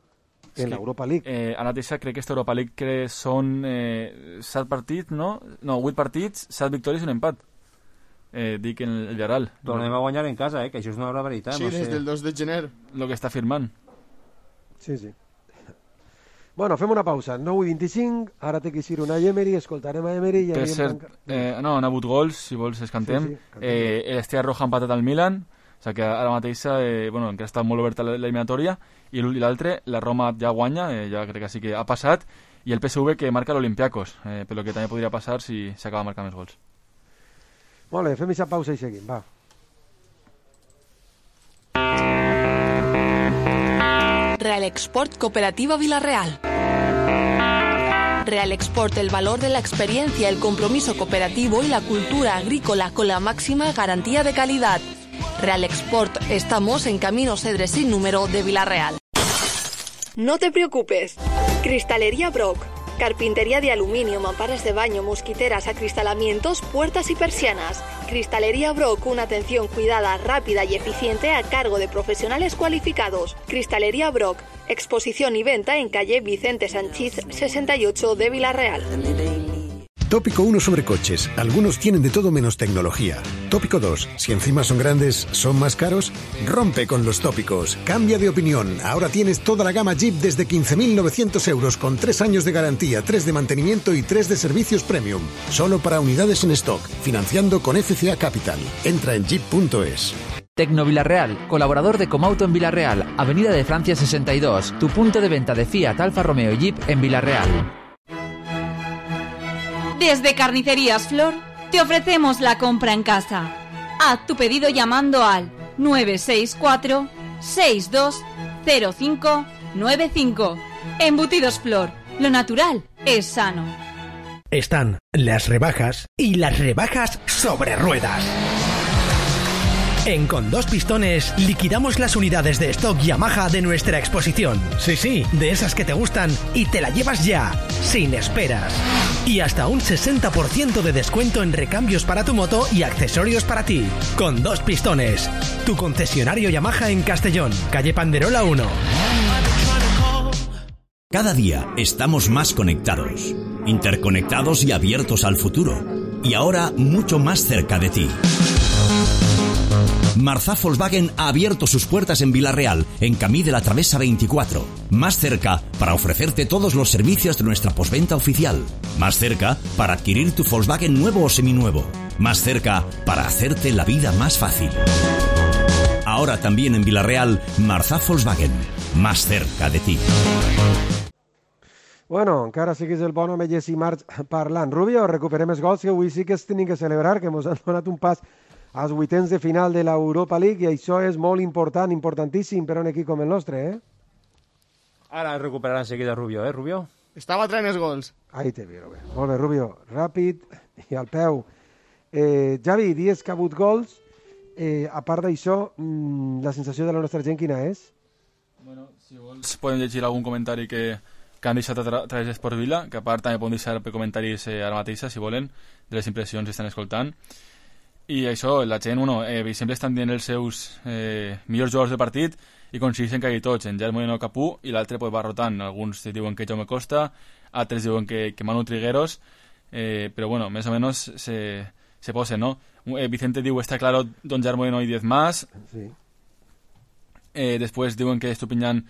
En l'Europa League. Ara mateixa crec que aquesta Europa League que són 7 partits, no? No, 8 partits, 7 victòries i un empat. Dic en el Villarreal. Tornem a guanyar en casa, que això és una barbaritat. Sí, no sé. Des del 2 de gener. Lo que està firmant. Sí. Bueno, fem una pausa. 9:25, ara té que ser una Emery, escoltarem a Emery. Per cert, no, han hagut gols, si vols es cantem. L'Estrella Roja ha empatat al Milan, o sigui que ara mateixa, encara està molt oberta l'eliminatòria, i l'altre, la Roma ja guanya, ja crec que sí que ha passat, i el PSV que marca l'Olympiacos, però que també podria passar si s'acaba marcant més gols. Molt bé, fem aquesta pausa i seguim, va. Real Export Cooperativa Villarreal. Real Export, el valor de la experiencia, el compromiso cooperativo y la cultura agrícola con la máxima garantía de calidad. Real Export, estamos en Camino Cedres sin número de Villarreal. No te preocupes. Cristalería Brock. Carpintería de aluminio, mamparas de baño, mosquiteras, acristalamientos, puertas y persianas. Cristalería Brock, una atención cuidada, rápida y eficiente a cargo de profesionales cualificados. Cristalería Brock, exposición y venta en calle Vicente Sanchís 68 de Villarreal. Tópico 1 sobre coches. Algunos tienen de todo menos tecnología. Tópico 2. Si encima son grandes, ¿son más caros? Rompe con los tópicos. Cambia de opinión. Ahora tienes toda la gama Jeep desde 15.900 euros con 3 años de garantía, 3 de mantenimiento y 3 de servicios premium. Solo para unidades en stock. Financiando con FCA Capital. Entra en jeep.es. Tecno Villarreal, colaborador de Comauto en Villarreal, Avenida de Francia 62, tu punto de venta de Fiat, Alfa Romeo y Jeep en Villarreal. Desde Carnicerías Flor te ofrecemos la compra en casa. Haz tu pedido llamando al 964-620595. Embutidos Flor, lo natural es sano. Están las rebajas y las rebajas sobre ruedas. En Con Dos Pistones liquidamos las unidades de stock Yamaha de nuestra exposición. Sí, de esas que te gustan y te la llevas ya, sin esperas. Y hasta un 60% de descuento en recambios para tu moto y accesorios para ti. Con Dos Pistones, tu concesionario Yamaha en Castellón, calle Panderola 1. Cada día estamos más conectados, interconectados y abiertos al futuro. Y ahora mucho más cerca de ti. Marzá Volkswagen ha abierto sus puertas en Villarreal, en Camí de la Travesa 24. Más cerca para ofrecerte todos los servicios de nuestra postventa oficial. Más cerca para adquirir tu Volkswagen nuevo o seminuevo. Más cerca para hacerte la vida más fácil. Ahora también en Villarreal, Marzá Volkswagen. Más cerca de ti. Bueno, encara siguis el bon home Jesse March parlant. Rubio, recuperem els gols que avui sí que es tenim que celebrar, que ens han donat un pas als vuitens de final de l'Europa League, i això és molt important, importantíssim per a un equip com el nostre, Ara recuperarà enseguida Rubio, Rubio? Estava traient els gols. Ahí te miro, bé. Molt bé, Rubio, ràpid i al peu. Javi, dies que ha hagut gols, a part d'això, la sensació de la nostra gent quina és? Bueno, si vols podem llegir algun comentari que han deixat a través d'Esport Vila, que a part també poden deixar comentaris ara mateixa, si volen, de les impressions que estan escoltant. I això, la gent, sempre estan dient els seus millors jugadors del partit i coincideixen quasi tots, en Gerard Moreno Capú, i l'altre va rotant. Alguns diuen que Jaume Costa, altres diuen que Manu Trigueros, però bueno, més o menos se posen, ¿no? Vicente diu, está claro, don Gerard Moreno y 10 más. Sí. Después diuen que Estupiñán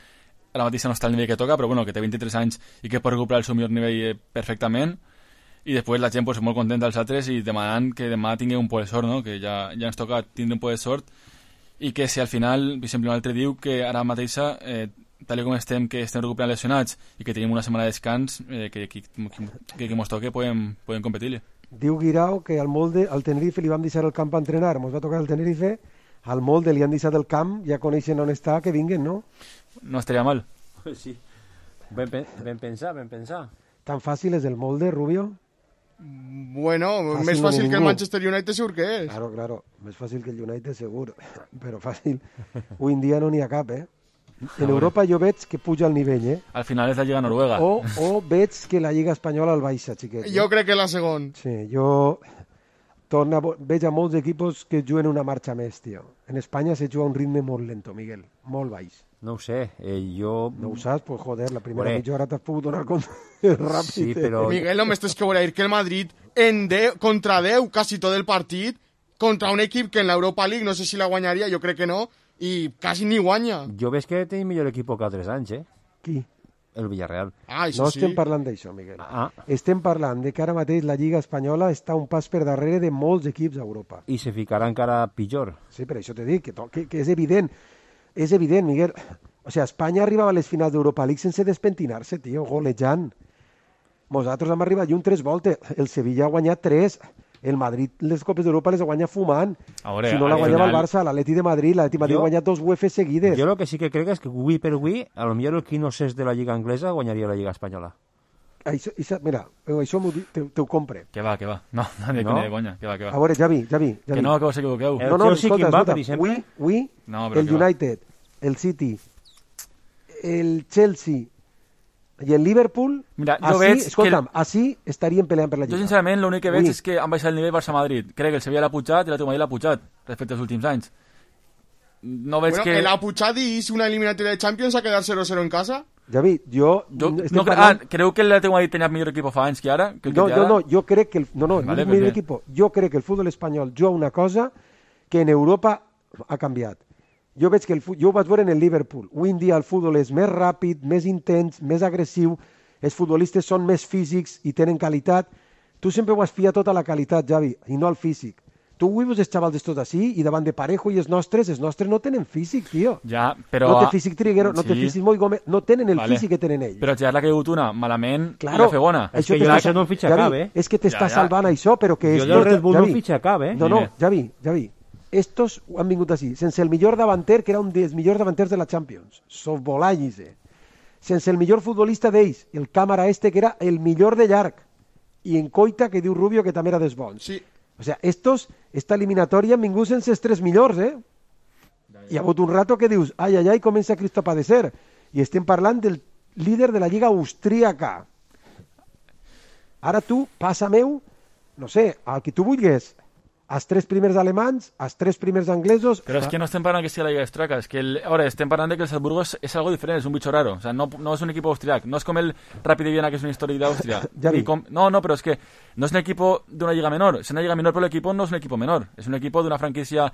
ara mateix no està al nivell que toca, però bueno, que té 23 anys i que pot recuperar el seu millor nivell perfectament. I després la gent pues, molt contenta dels altres i demanant que demà tingui un poc de sort, no? Que ja ens toca tindre un poc de sort i que si al final, per exemple, un altre diu que ara mateixa, tal com estem, que estem recuperant lesionats i que tenim una setmana de descans, que mos toque podem competir-li. Diu Guirao que al Tenerife li vam deixar el camp a entrenar, mos va tocar el Tenerife, al Molde li han deixat el camp, ja coneixen on està, que vinguen, no? No estaria mal. Sí, ben pensar. Tan fàcil és el Molde, Rubio? Bueno, més fàcil que el Manchester United segur que és. Claro, més fàcil que el United segur, però fàcil. Avui en dia no n'hi ha cap, En Europa jo veig que puja el nivell, Al final és la Lliga Noruega. O veig que la Lliga Espanyola el baixa, xiquet. Jo crec que la segon. Sí, jo veig a molts equipos que juguen una marxa més, tio. En Espanya se juga a un ritme molt lento, Miguel, molt baix. No ho sé, jo... No ho saps? Pues joder, la primera mitja hora t'has pogut donar compte ràpid. Sí, però... Miguel, només tens que veure que el Madrid contra 10, quasi tot el partit, contra un equip que en l'Europa League no sé si la guanyaria, jo crec que no, i quasi ni guanya. Jo veig que tenim millor equip que altres anys, Qui? El Villarreal. No estem parlant d'això, Miguel. Estem parlant de que ara mateix la Lliga Espanyola està un pas per darrere de molts equips a Europa. I se ficarà encara pitjor. Sí, per això t'he dit, que és evident. És evident, Miguel. O sigui, Espanya arribava a les finals d'Europa League sense despentinar-se, tio, golejant. Nosaltres hem arribat lluny 3 voltes. El Sevilla ha guanyat 3. El Madrid les Copes d'Europa les guanya fumant. Veure, si no la guanyava el Barça, l'Atleti de Madrid ha guanyat 2 UEFA seguides. Jo el que sí que crec és que avui per avui, a lo millor el qui no s'és de la Lliga Anglesa guanyaria la Lliga Espanyola. Mira, això te ho compre. Que va. No, ni de conya, que va. A veure, Javi. Que no, que us equivoqueu. No, escolta. Avui, el United, el City, el Chelsea i el Liverpool, mira, jo veig així estarien peleant per la Lliga. Jo, sincerament, l'únic que veig és que han baixat el nivell Barça-Madrid. Crec que el Sevilla l'ha pujat i l'Atlètic de Madrid l'ha pujat respecte als últims anys. No veig que... ¿El ha pujat i és una eliminatòria de Champions a quedar 0-0 en casa? Javi, creu que l'Atlètic de Madrid tenia millor equip fa anys que ara? No, jo crec que jo crec que el futbol espanyol juga una cosa que en Europa ha canviat. Jo veig que jo ho vaig veure en el Liverpool. Avui en dia el futbol és més ràpid, més intens, més agressiu, els futbolistes són més físics i tenen qualitat. Tu sempre ho has fiat tota la qualitat, Javi, i no el físic. Tu avui veus els xavals d'estos així i davant de Parejo i els nostres no tenen físic, tio. Ja, però... No té físic Triguero, no té físic Moi Gómez, no tenen el físic que tenen ells. Però ja l'ha caigut una malament i la fe bona. És que jo no fitxa cap, És que t'està salvant això, però que... Jo el Red Bull no fitxa cap, No, Javi. Estos han vingut així, sense el millor davanter, que era un dels millors davanters de la Champions, Sofbolagis, sense el millor futbolista d'ells, el càmera que era el millor de llarg, i en Coita, que diu Rubio, que també era dels bons. Sí. O sea, esta eliminatòria han vingut sense els 3 millors, Hi ha hagut un rato que dius, ai, comença Cristo a padecer, i estem parlant del líder de la Lliga Austríaca. Ara tu, passa meu, no sé, al que tu vulguis, els 3 primers alemanys, els 3 primers anglesos... Però és que no estem parlant que sigui la Lliga Austríaca, és que estem parlant de que el Salzburgo és algo diferent, és un bicho raro, o sea, no és un equipo austriac, no és com el Rapid de Viena, que és un històric d'Àustria. No, però és que no és un equipo d'una lliga menor, és una lliga menor, però l'equipo no és un equipo menor, és un equipo d'una franquícia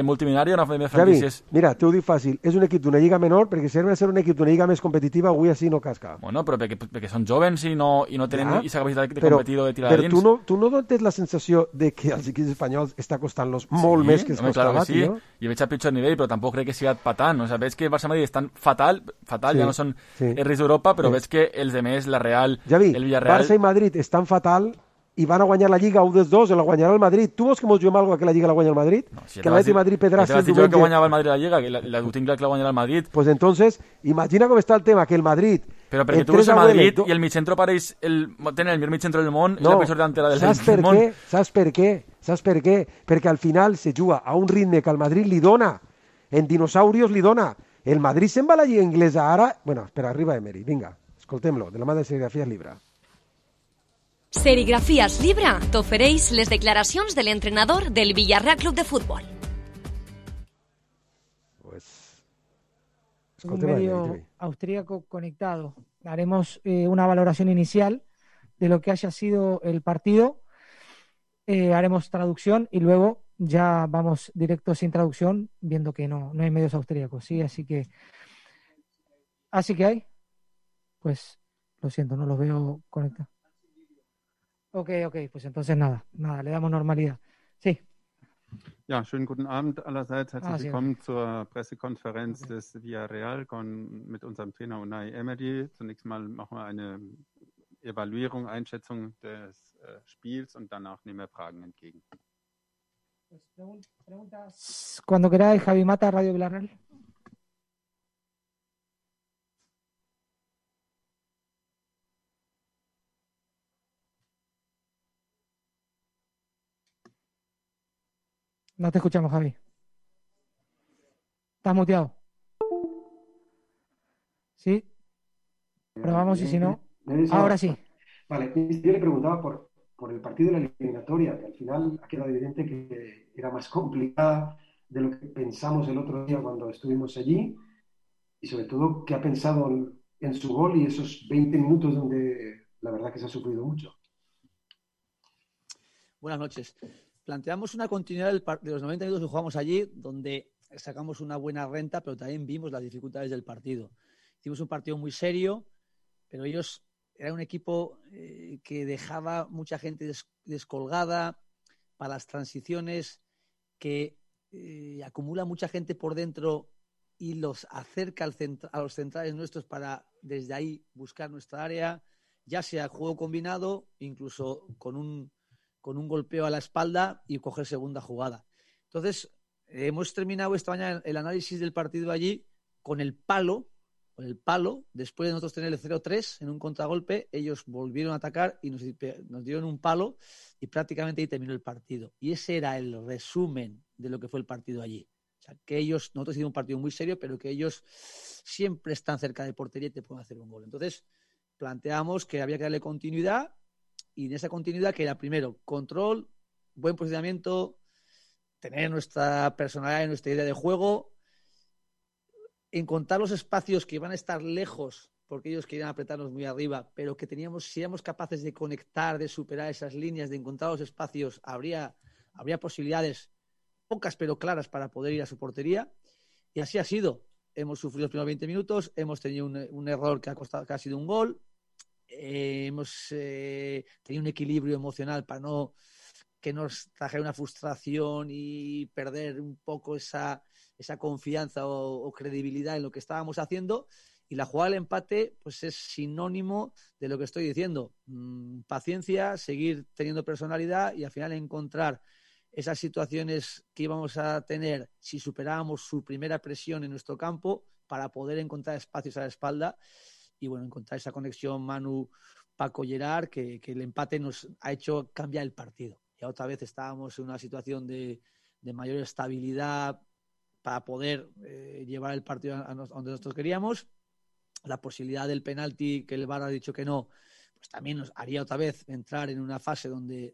multimilionària, una de franquícies... Javi, mira, t'ho dic fàcil, és un equip d'una lliga menor, perquè si ha de ser un equip d'una lliga més competitiva, avui així no casca. Bueno, però perquè són jovens i no tenen aquesta capacitat de competir o de tirar dins. Però tu no tens la sensació de que als equips espanyols està costant molt més que es costava, tio. I veig a pitjor nivell, però tampoc crec que sigui patant. O sigui, veig que Barça-Madrid estan fatal, ja no són els reis d'Europa, però veig que els demés, la Real, el Villarreal... Barça i Madrid estan fatal i van a guanyar la Lliga 1 dels 2, la guanyarà el Madrid. Tu vols que mos juguem alguna que la Lliga la guanya el Madrid? No, si que l'Atleti de Madrid Pedraza el diumenge... que guanyava el Madrid la Lliga, que la tinc clar que la guanyarà el Madrid. Pues entonces, imagina com està el tema, que el Madrid... Però perquè tu veus el Madrid i el mitjentro pareix tenen el millor mitjentro del món i la pitjor delantera del món. Saps per què? Perquè al final se juga a un ritme que el Madrid li dona, en dinosaurios li dona. El Madrid se'n va a la Lliga Inglesa ara... Bueno, espera, arriba Emery, vinga, escoltem-lo, de la mà de Serigrafías Libra. Serigrafías Libra t'ofereix les declaracions de l'entrenador del Villarreal Club de Fútbol. Un medio austríaco conectado. Haremos una valoración inicial de lo que haya sido el partido. Haremos traducción y luego ya vamos directo sin traducción, viendo que no hay medios austríacos, ¿sí? Así que ¿Así que hay? Pues lo siento, no los veo conectados. Ok, pues entonces nada, le damos normalidad. Sí. Ja, schönen guten Abend allerseits. Herzlich sí, willkommen zur Pressekonferenz des Villarreal mit unserem Trainer Unai Emery. Zunächst mal machen wir eine Evaluierung, Einschätzung des Spiels und danach nehmen wir Fragen entgegen. Preguntas cuando queráis, Javi Mata, Radio Villarreal. No te escuchamos, Javi. Estás muteado. Sí. Probamos y si no. Ahora sí. Vale, yo le preguntaba por el partido de la eliminatoria, que al final ha quedado evidente que era más complicada de lo que pensamos el otro día cuando estuvimos allí, y sobre todo qué ha pensado en su gol y esos 20 minutos donde la verdad que se ha sufrido mucho. Buenas noches. Planteamos una continuidad de los 90 minutos que jugamos allí, donde sacamos una buena renta, pero también vimos las dificultades del partido. Hicimos un partido muy serio, pero ellos eran un equipo que dejaba mucha gente descolgada para las transiciones, que acumula mucha gente por dentro y los acerca a los centrales nuestros para desde ahí buscar nuestra área, ya sea juego combinado, incluso con un golpeo a la espalda y coger segunda jugada. Entonces, hemos terminado esta mañana el análisis del partido allí con el palo, después de nosotros tener el 0-3 en un contragolpe, ellos volvieron a atacar y nos dieron un palo y prácticamente ahí terminó el partido. Y ese era el resumen de lo que fue el partido allí. O sea, que nosotros hicimos un partido muy serio, pero que ellos siempre están cerca de portería y te pueden hacer un gol. Entonces, planteamos que había que darle continuidad, y en esa continuidad que era primero control, buen posicionamiento, tener nuestra personalidad y nuestra idea de juego, encontrar los espacios que iban a estar lejos porque ellos querían apretarnos muy arriba, pero que si éramos capaces de conectar, de superar esas líneas, de encontrar los espacios, habría posibilidades, pocas pero claras, para poder ir a su portería, y así ha sido. Hemos sufrido los primeros 20 minutos, hemos tenido un error que ha sido un gol, hemos tenido un equilibrio emocional para no que nos trajera una frustración y perder un poco esa confianza o credibilidad en lo que estábamos haciendo, y la jugada del empate pues es sinónimo de lo que estoy diciendo. Paciencia, seguir teniendo personalidad y al final encontrar esas situaciones que íbamos a tener si superábamos su primera presión en nuestro campo, para poder encontrar espacios a la espalda y bueno, encontrar esa conexión Manu-Paco Gerard que el empate nos ha hecho cambiar el partido. Ya otra vez estábamos en una situación de mayor estabilidad para poder llevar el partido a donde nosotros queríamos. La posibilidad del penalti, que el VAR ha dicho que no, pues también nos haría otra vez entrar en una fase donde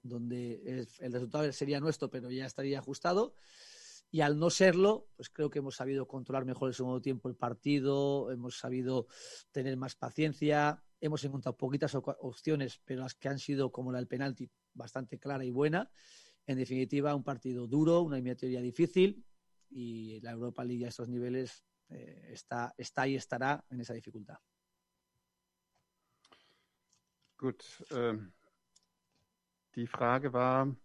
el resultado sería nuestro, pero ya estaría ajustado. Y al no serlo, pues creo que hemos sabido controlar mejor el segundo tiempo el partido, hemos sabido tener más paciencia, hemos encontrado poquitas opciones, pero las que han sido, como la del penalti, bastante clara y buena. En definitiva, un partido duro, una eliminatoria difícil, y la Europa League a estos niveles está y estará en esa dificultad. Gut, die Frage war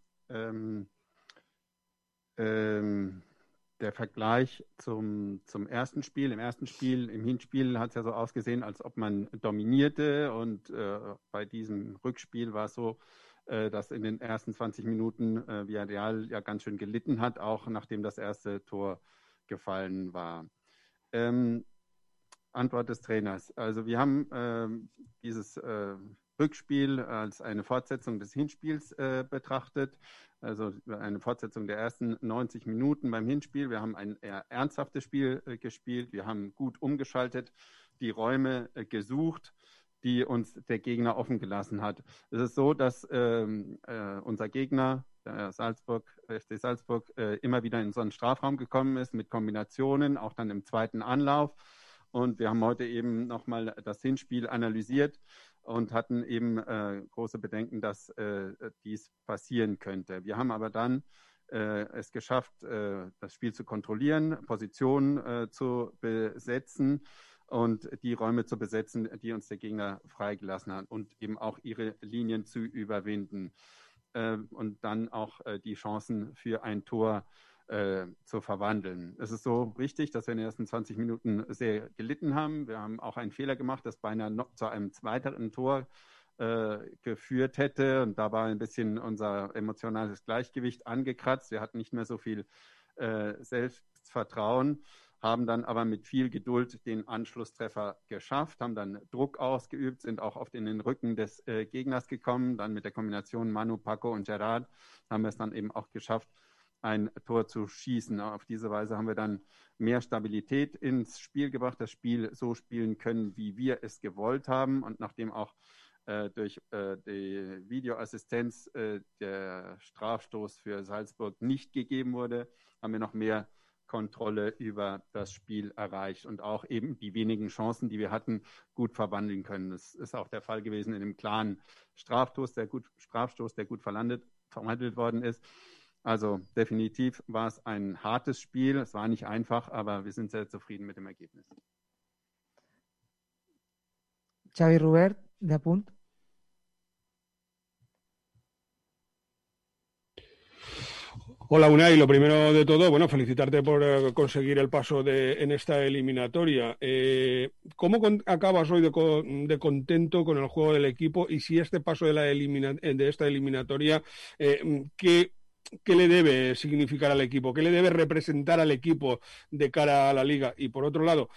der Vergleich zum ersten Spiel. Im Hinspiel hat es ja so ausgesehen, als ob man dominierte, und bei diesem Rückspiel war es so, dass in den ersten 20 Minuten Villarreal ja ganz schön gelitten hat, auch nachdem das erste Tor gefallen war. Antwort des Trainers. Also wir haben dieses Rückspiel als eine Fortsetzung des Hinspiels betrachtet, also eine Fortsetzung der ersten 90 Minuten beim Hinspiel. Wir haben ein eher ernsthaftes Spiel gespielt, wir haben gut umgeschaltet, die Räume gesucht, die uns der Gegner offen gelassen hat. Es ist so, dass unser Gegner, der FC Salzburg, immer wieder in so einen Strafraum gekommen ist mit Kombinationen, auch dann im zweiten Anlauf. Und wir haben heute eben nochmal das Hinspiel analysiert und hatten eben große Bedenken, dass dies passieren könnte. Wir haben aber dann es geschafft, das Spiel zu kontrollieren, Positionen zu besetzen und die Räume zu besetzen, die uns der Gegner freigelassen hat und eben auch ihre Linien zu überwinden und dann auch die Chancen für ein Tor zu verwandeln. Es ist so richtig, dass wir in den ersten 20 Minuten sehr gelitten haben. Wir haben auch einen Fehler gemacht, das beinahe noch zu einem weiteren Tor geführt hätte, und da war ein bisschen unser emotionales Gleichgewicht angekratzt. Wir hatten nicht mehr so viel Selbstvertrauen, haben dann aber mit viel Geduld den Anschlusstreffer geschafft, haben dann Druck ausgeübt, sind auch oft in den Rücken des Gegners gekommen. Dann mit der Kombination Manu, Paco und Gerard haben wir es dann eben auch geschafft, ein Tor zu schießen. Auf diese Weise haben wir dann mehr Stabilität ins Spiel gebracht, das Spiel so spielen können, wie wir es gewollt haben. Und nachdem auch durch die Videoassistenz der Strafstoß für Salzburg nicht gegeben wurde, haben wir noch mehr Kontrolle über das Spiel erreicht und auch eben die wenigen Chancen, die wir hatten, gut verwandeln können. Das ist auch der Fall gewesen in dem klaren Strafstoß, der gut verwandelt worden ist. Also definitiv war es ein hartes Spiel. Es war nicht einfach, aber wir sind sehr zufrieden mit dem Ergebnis. Xavi Robert, de apunt. Hola Unai, lo primero de todo, bueno, felicitarte por conseguir el paso en esta eliminatoria. ¿Cómo acabas hoy de contento con el juego del equipo y si este paso de esta eliminatoria, ¿qué le debe significar al equipo? ¿Qué le debe representar al equipo de cara a la Liga? Y por otro lado,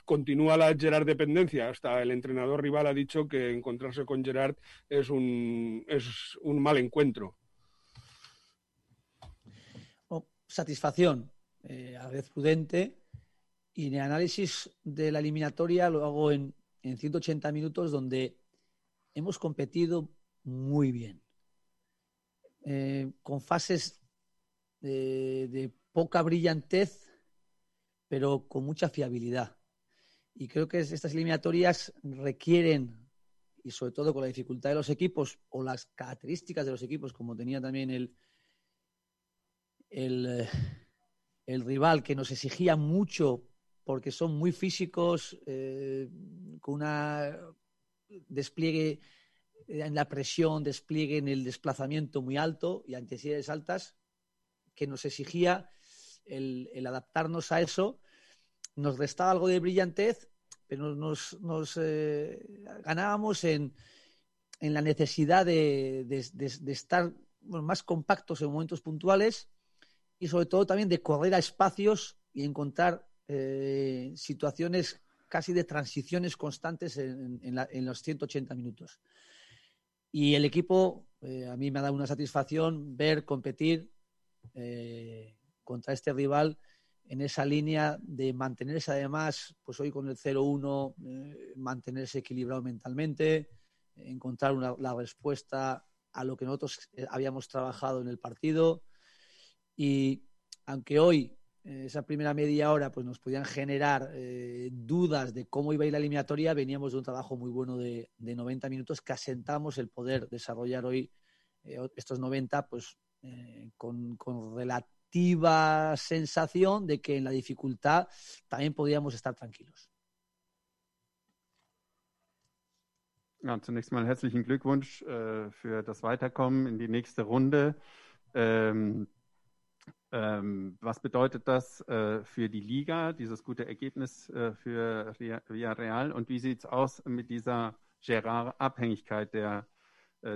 continúa la Gerard dependencia. Hasta el entrenador rival ha dicho que encontrarse con Gerard es un mal encuentro. Satisfacción, a la vez prudente, y el análisis de la eliminatoria lo hago en 180 minutos, donde hemos competido muy bien, con fases de poca brillantez, pero con mucha fiabilidad. Y creo que estas eliminatorias requieren, y sobre todo con la dificultad de los equipos o las características de los equipos, como tenía también el rival, que nos exigía mucho porque son muy físicos, con una despliegue en la presión, despliegue en el desplazamiento muy alto y intensidades altas, que nos exigía el adaptarnos a eso. Nos restaba algo de brillantez, pero nos ganábamos en la necesidad de estar más compactos en momentos puntuales, y sobre todo también de correr a espacios y encontrar situaciones casi de transiciones constantes en los 180 minutos. Y el equipo, a mí me ha dado una satisfacción ver competir contra este rival en esa línea de mantenerse, además, pues hoy con el 0-1, mantenerse equilibrado mentalmente, encontrar la respuesta a lo que nosotros habíamos trabajado en el partido. Y aunque hoy, esa primera media hora, pues nos podían generar dudas de cómo iba a ir la eliminatoria, veníamos de un trabajo muy bueno de 90 minutos que asentamos el poder desarrollar hoy estos 90 pues con relativa sensación de que en la dificultad también podíamos estar tranquilos. Ja, zunächst mal herzlichen Glückwunsch für das Weiterkommen in die nächste Runde. Was bedeutet das für die Liga, dieses gute Ergebnis für Villarreal? Und wie sieht es aus mit dieser Gerard-Abhängigkeit? Der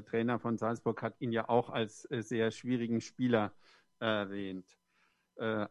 Trainer von Salzburg hat ihn ja auch als sehr schwierigen Spieler erwähnt.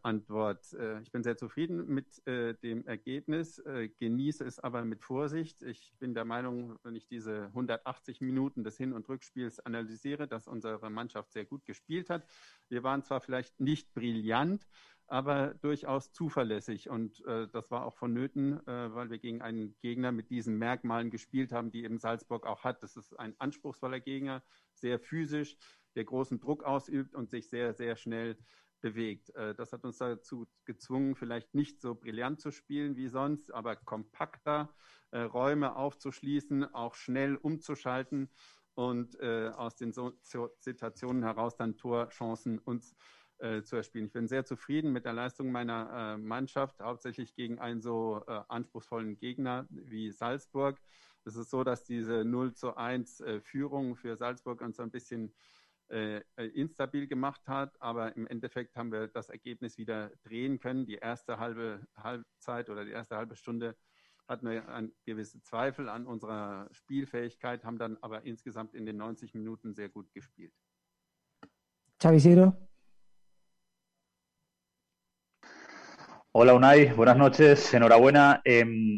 Antwort: Ich bin sehr zufrieden mit dem Ergebnis, genieße es aber mit Vorsicht. Ich bin der Meinung, wenn ich diese 180 Minuten des Hin- und Rückspiels analysiere, dass unsere Mannschaft sehr gut gespielt hat. Wir waren zwar vielleicht nicht brillant, aber durchaus zuverlässig, und das war auch vonnöten, weil wir gegen einen Gegner mit diesen Merkmalen gespielt haben, die eben Salzburg auch hat. Das ist ein anspruchsvoller Gegner, sehr physisch, der großen Druck ausübt und sich sehr, sehr schnell bewegt. Das hat uns dazu gezwungen, vielleicht nicht so brillant zu spielen wie sonst, aber kompakter, Räume aufzuschließen, auch schnell umzuschalten und aus den Situationen heraus dann Torchancen uns zu erspielen. Ich bin sehr zufrieden mit der Leistung meiner Mannschaft, hauptsächlich gegen einen so anspruchsvollen Gegner wie Salzburg. Es ist so, dass diese 0:1 Führung für Salzburg uns ein bisschen instabil gemacht hat, aber im Endeffekt haben wir das Ergebnis wieder drehen können. Die erste Halbzeit oder die erste halbe Stunde hatten wir gewisse Zweifel an unserer Spielfähigkeit, haben dann aber insgesamt in den 90 Minuten sehr gut gespielt. Xavi Isidro. Hola Unai, buenas noches, enhorabuena.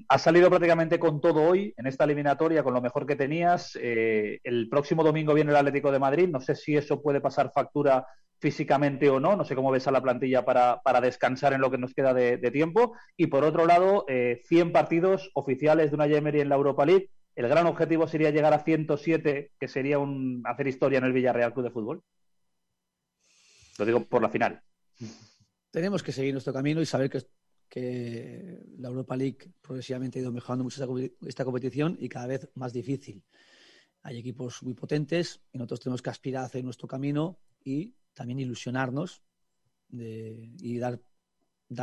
Has salido prácticamente con todo hoy en esta eliminatoria, con lo mejor que tenías. El próximo domingo viene el Atlético de Madrid, no sé si eso puede pasar factura físicamente o no sé cómo ves a la plantilla para descansar en lo que nos queda de tiempo. Y por otro lado, 100 partidos oficiales de Unai Emery en la Europa League. ¿El gran objetivo sería llegar a 107, que sería hacer historia en el Villarreal Club de Fútbol? Lo digo por la final. Tenemos que seguir nuestro camino y saber que la Europa League progresivamente ha ido mejorando mucho esta competición y cada vez más difícil. Hay equipos muy potentes y nosotros tenemos que aspirar a hacer nuestro camino y también ilusionarnos y dar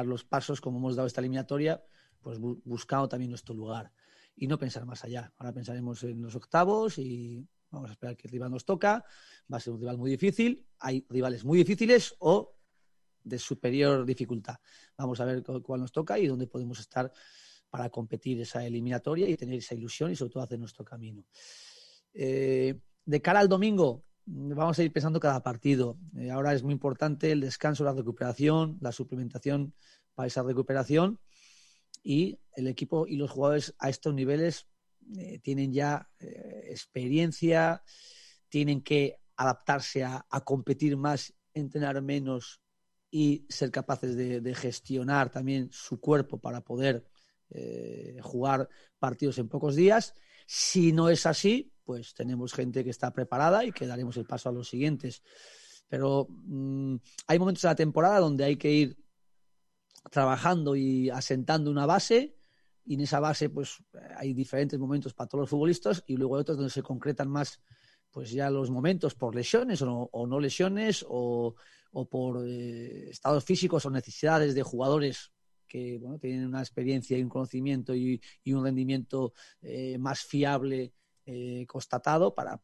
los pasos como hemos dado esta eliminatoria, pues buscando también nuestro lugar y no pensar más allá. Ahora pensaremos en los octavos y vamos a esperar que el rival nos toca. Va a ser un rival muy difícil. Hay rivales muy difíciles o de superior dificultad. Vamos a ver cuál nos toca y dónde podemos estar para competir esa eliminatoria y tener esa ilusión y sobre todo hacer nuestro camino. De cara al domingo, vamos a ir pensando cada partido. Ahora es muy importante el descanso, la recuperación, la suplementación para esa recuperación y el equipo y los jugadores a estos niveles tienen ya experiencia, tienen que adaptarse a competir más, entrenar menos y ser capaces de gestionar también su cuerpo para poder jugar partidos en pocos días. Si no es así, pues tenemos gente que está preparada y que daremos el paso a los siguientes. Pero hay momentos de la temporada donde hay que ir trabajando y asentando una base y en esa base pues hay diferentes momentos para todos los futbolistas y luego hay otros donde se concretan más pues ya los momentos por lesiones o no lesiones o por estados físicos o necesidades de jugadores que bueno, tienen una experiencia y un conocimiento y un rendimiento más fiable constatado para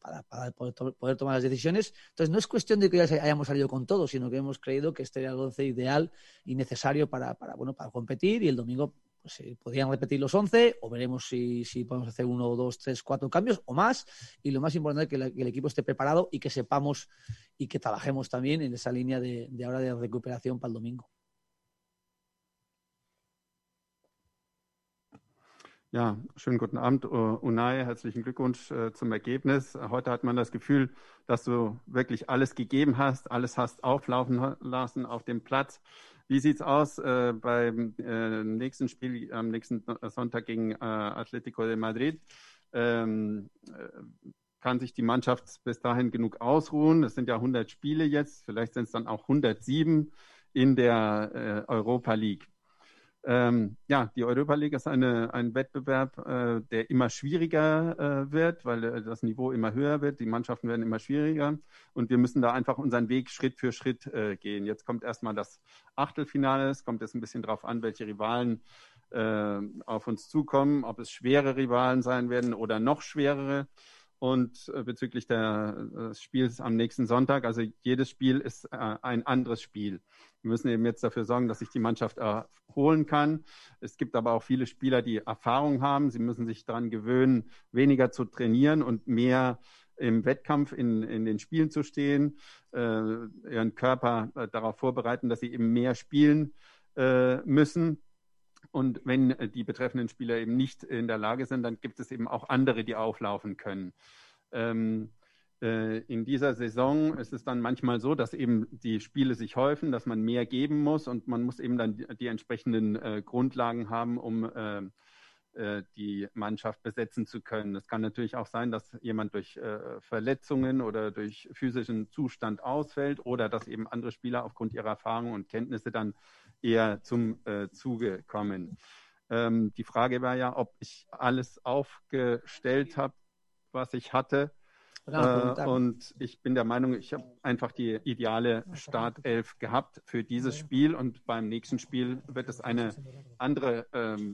poder tomar las decisiones. Entonces no es cuestión de que ya hayamos salido con todo, sino que hemos creído que este era el 11 ideal y necesario para competir y el domingo pues, podrían repetir los 11 o veremos si podemos hacer 1, 2, 3, 4 cambios o más y lo más importante es que el equipo esté preparado y que sepamos y que trabajemos también en esa línea de ahora de recuperación para el domingo. Ja, schönen guten Abend, Unai. Herzlichen Glückwunsch zum Ergebnis. Heute hat man das Gefühl, dass du wirklich alles gegeben hast, alles hast auflaufen lassen auf dem Platz. Wie sieht's aus beim nächsten Spiel am nächsten Sonntag gegen Atlético de Madrid? Kann sich die Mannschaft bis dahin genug ausruhen? Es sind ja 100 Spiele jetzt, vielleicht sind es dann auch 107 in der Europa League. Ja, die Europa League ist ein Wettbewerb, der immer schwieriger wird, weil das Niveau immer höher wird, die Mannschaften werden immer schwieriger und wir müssen da einfach unseren Weg Schritt für Schritt gehen. Jetzt kommt erstmal das Achtelfinale, es kommt jetzt ein bisschen drauf an, welche Rivalen auf uns zukommen, ob es schwere Rivalen sein werden oder noch schwerere. Und bezüglich des Spiels am nächsten Sonntag, also jedes Spiel ist ein anderes Spiel. Wir müssen eben jetzt dafür sorgen, dass sich die Mannschaft erholen kann. Es gibt aber auch viele Spieler, die Erfahrung haben. Sie müssen sich daran gewöhnen, weniger zu trainieren und mehr im Wettkampf in den Spielen zu stehen, ihren Körper darauf vorbereiten, dass sie eben mehr spielen müssen. Und wenn die betreffenden Spieler eben nicht in der Lage sind, dann gibt es eben auch andere, die auflaufen können. In dieser Saison ist es dann manchmal so, dass eben die Spiele sich häufen, dass man mehr geben muss und man muss eben dann die entsprechenden Grundlagen haben, um die Mannschaft besetzen zu können. Es kann natürlich auch sein, dass jemand durch Verletzungen oder durch physischen Zustand ausfällt oder dass eben andere Spieler aufgrund ihrer Erfahrung und Kenntnisse dann eher zum Zuge kommen. Die Frage war ja, ob ich alles aufgestellt habe, was ich hatte. Und ich bin der Meinung, ich habe einfach die ideale Startelf gehabt für dieses Spiel und beim nächsten Spiel wird es eine andere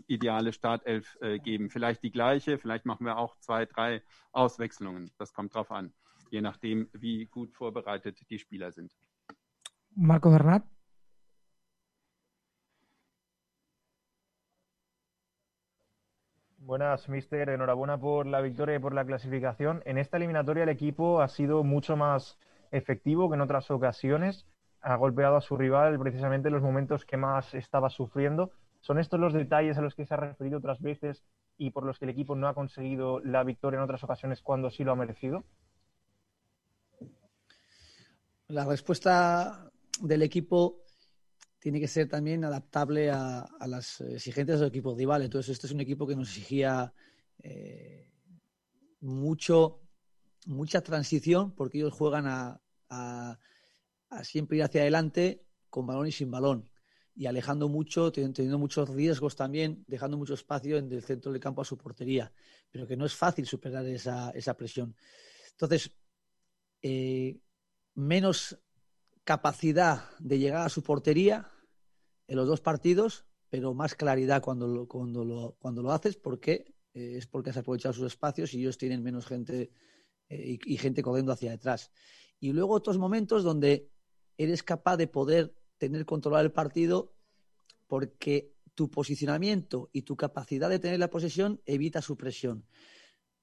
ideale Startelf geben. Vielleicht die gleiche, vielleicht machen wir auch 2, 3 Auswechslungen. Das kommt drauf an, je nachdem, wie gut vorbereitet die Spieler sind. Marco Bernat. Buenas, mister. Enhorabuena por la victoria y por la clasificación. En esta eliminatoria el equipo ha sido mucho más efectivo que en otras ocasiones. Ha golpeado a su rival precisamente en los momentos que más estaba sufriendo. ¿Son estos los detalles a los que se ha referido otras veces y por los que el equipo no ha conseguido la victoria en otras ocasiones cuando sí lo ha merecido? La respuesta del equipo tiene que ser también adaptable a las exigencias del equipo rival. Entonces, este es un equipo que nos exigía mucha transición, porque ellos juegan a siempre ir hacia adelante con balón y sin balón, y alejando mucho, teniendo muchos riesgos también, dejando mucho espacio en el centro del campo a su portería, pero que no es fácil superar esa presión. Entonces, menos capacidad de llegar a su portería en los dos partidos, pero más claridad cuando lo haces, porque es porque has aprovechado sus espacios y ellos tienen menos gente y gente corriendo hacia detrás. Y luego otros momentos donde eres capaz de poder tener controlado el partido porque tu posicionamiento y tu capacidad de tener la posesión evita su presión.